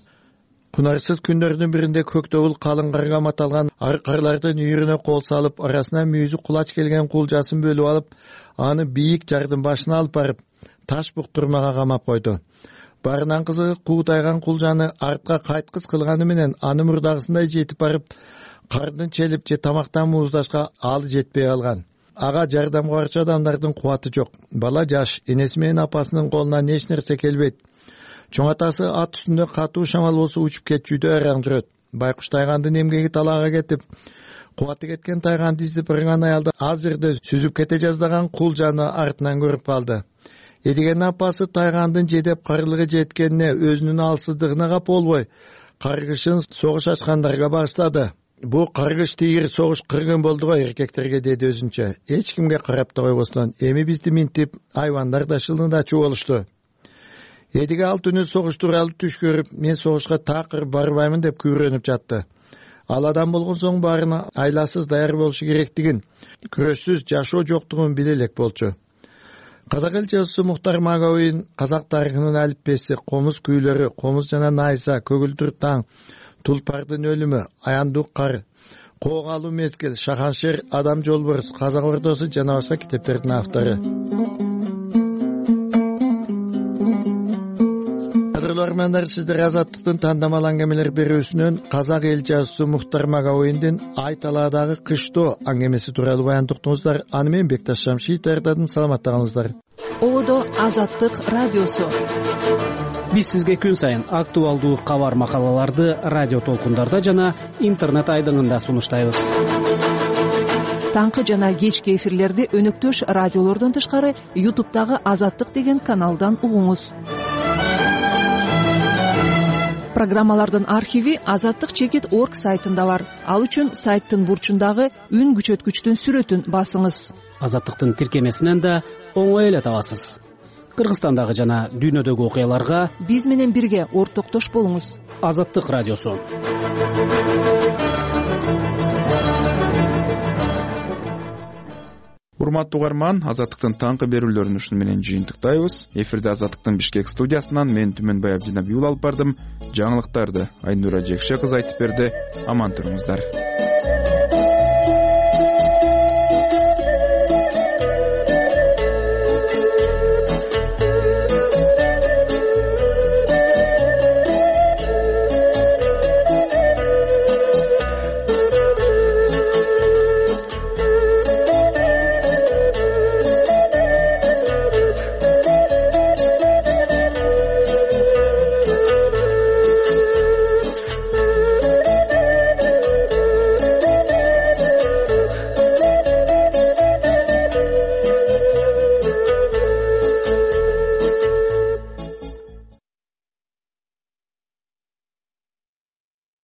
Speaker 22: Кунарсыз күндөрдүн биринде көк добул калың карга маталган аркарлардын үйүрүнө кол салып, арасына мүйүзү кулач келген кулжасын бөлүп алып, аны бийик жардын башына алып барып, таш буктурмага камап койду. Барынан кызыгы куутайган кулжаны артка кайткыс кылганы менен аны мурдагысындай жетип барып, кардын челип же тамактан мууздашка алы жетпей калган. Ага жардамга барчу адамдардын кубаты жок. Бала жаш, энеси менен апасынын колунан эч нерсе келбейт. Чоң атасы ат үстүндө катуу шамал болсо учуп кетчүдө араң жүрөт. Байкуш тайгандын эмгеги талаага кетип, кубаты кеткен тайганды издеп барган аялда аз жерде сүзүп кете жаздаган кулжаны артынан көрүп калды. Эдигенин апасы тайгандын жедеп карлыгы жеткенине өзүнүн алсыздыгына кап болбой, каргышын согуш ачкандарга багыштады. Бу каргыш тийир согуш кыргын болду го эркектерге, деди өзүнчө. Эч кимге карап да койбостон, эми бизди минтип, айбандар да шылындачу болушту. Эдиге ал түнү согуш тууралуу түш көрүп, мен согушка такыр барбаймын деп күбүрөнүп жатты. Ал адам болгон соң баарына айласыз даяр болушу керектигин, күрөшсүз жашоо жоктугун биле элек болчу. Казак эл жазуучусу Мухтар Маговин казак тарыхынын алиппеси, комуз күүлөрү, комуз жана найза, көгүлдүр таң, тулпардын өлүмү, аяндуу кар, коогалуу мезгил, шаханшер, адам жолборс, казак ордосу жана башка китептердин автору. Кадырлармандар, сиздер Азаттыктын тандамал аңгемелер берүүсүнөн казак эл жазуучусу Мухтар Маговиндин Ай талаадагы кыштоо аңгемеси тууралуу баян уктуңуздар. Аны мен Бекташ Шамшиев даярдадым. Саламаттыгыңыздар.
Speaker 1: Ободо Азаттык радиосу.
Speaker 10: Биз сизге күн сайын актуалдуу кабар макалаларды радио толкундарда жана интернет айдыңында сунуштайбыз.
Speaker 1: Таңкы жана кечки эфирлерди өнөктөш радиолордон тышкары YouTube'дагы Азаттык деген каналдан угуңуз. Программалардын архиви azattik.org сайтында бар. Ал үчүн сайттын бурчундагы үн күчөткүчтүн сүрөтүн басыңыз.
Speaker 10: Азаттыктын тиркемесинен да оңой эле табасыз. Кыргызстандагы жана дүйнөдөгү окуяларга
Speaker 1: биз менен бирге ортоктош болуңуз.
Speaker 10: Азаттык радиосу.
Speaker 2: урматтуу угарман, Азаттыктын таңкы берүүлөрүн ушуну менен жыйынтыктайбыз. Эфирде Азаттыктын Бишкек студиясынан мен Түмөнбай Абдинабиул алып бардым. Жаңылыктарды Айнура Жекше кызы айтып берди. Аман туруңуздар.